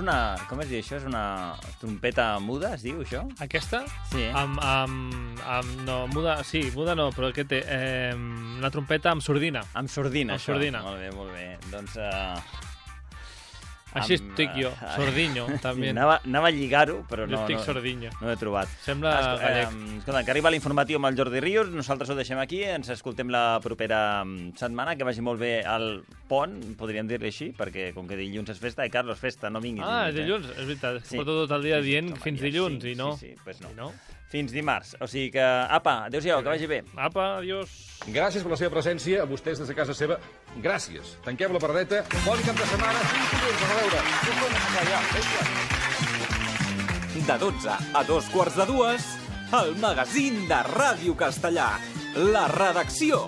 Com es diu això? És una trompeta muda, es diu això? Aquesta? Sí. No, muda, sí, muda no, però què té? Una trompeta amb sordina. Amb sordina, això. Sordina. Molt bé. Doncs... Així estic jo, sordinyo, també. Anava a lligar-ho, però no sordinyo. No he trobat. Sembla gallec. Escolta, que arriba l'informatiu amb el Jordi Ríos, nosaltres ho deixem aquí, ens escoltem la propera setmana, que vagi molt bé el pont, podríem dir-li així, perquè com que dilluns és festa, Carlos, festa, no vinguis. Dilluns, és veritat. Porto tot el dia dient fins dilluns, i no. Sí, pues no. Fins dimarts. O sigui que, apa, adéu-siau, que vagi bé. Apa, adiós. Gràcies per la seva presència, a vostès des de casa seva. Gràcies. Tanquem la pardeta. Bon cap de setmana. A veure. De 12 a 2:15, el magazín de Ràdio Castellà. La redacció.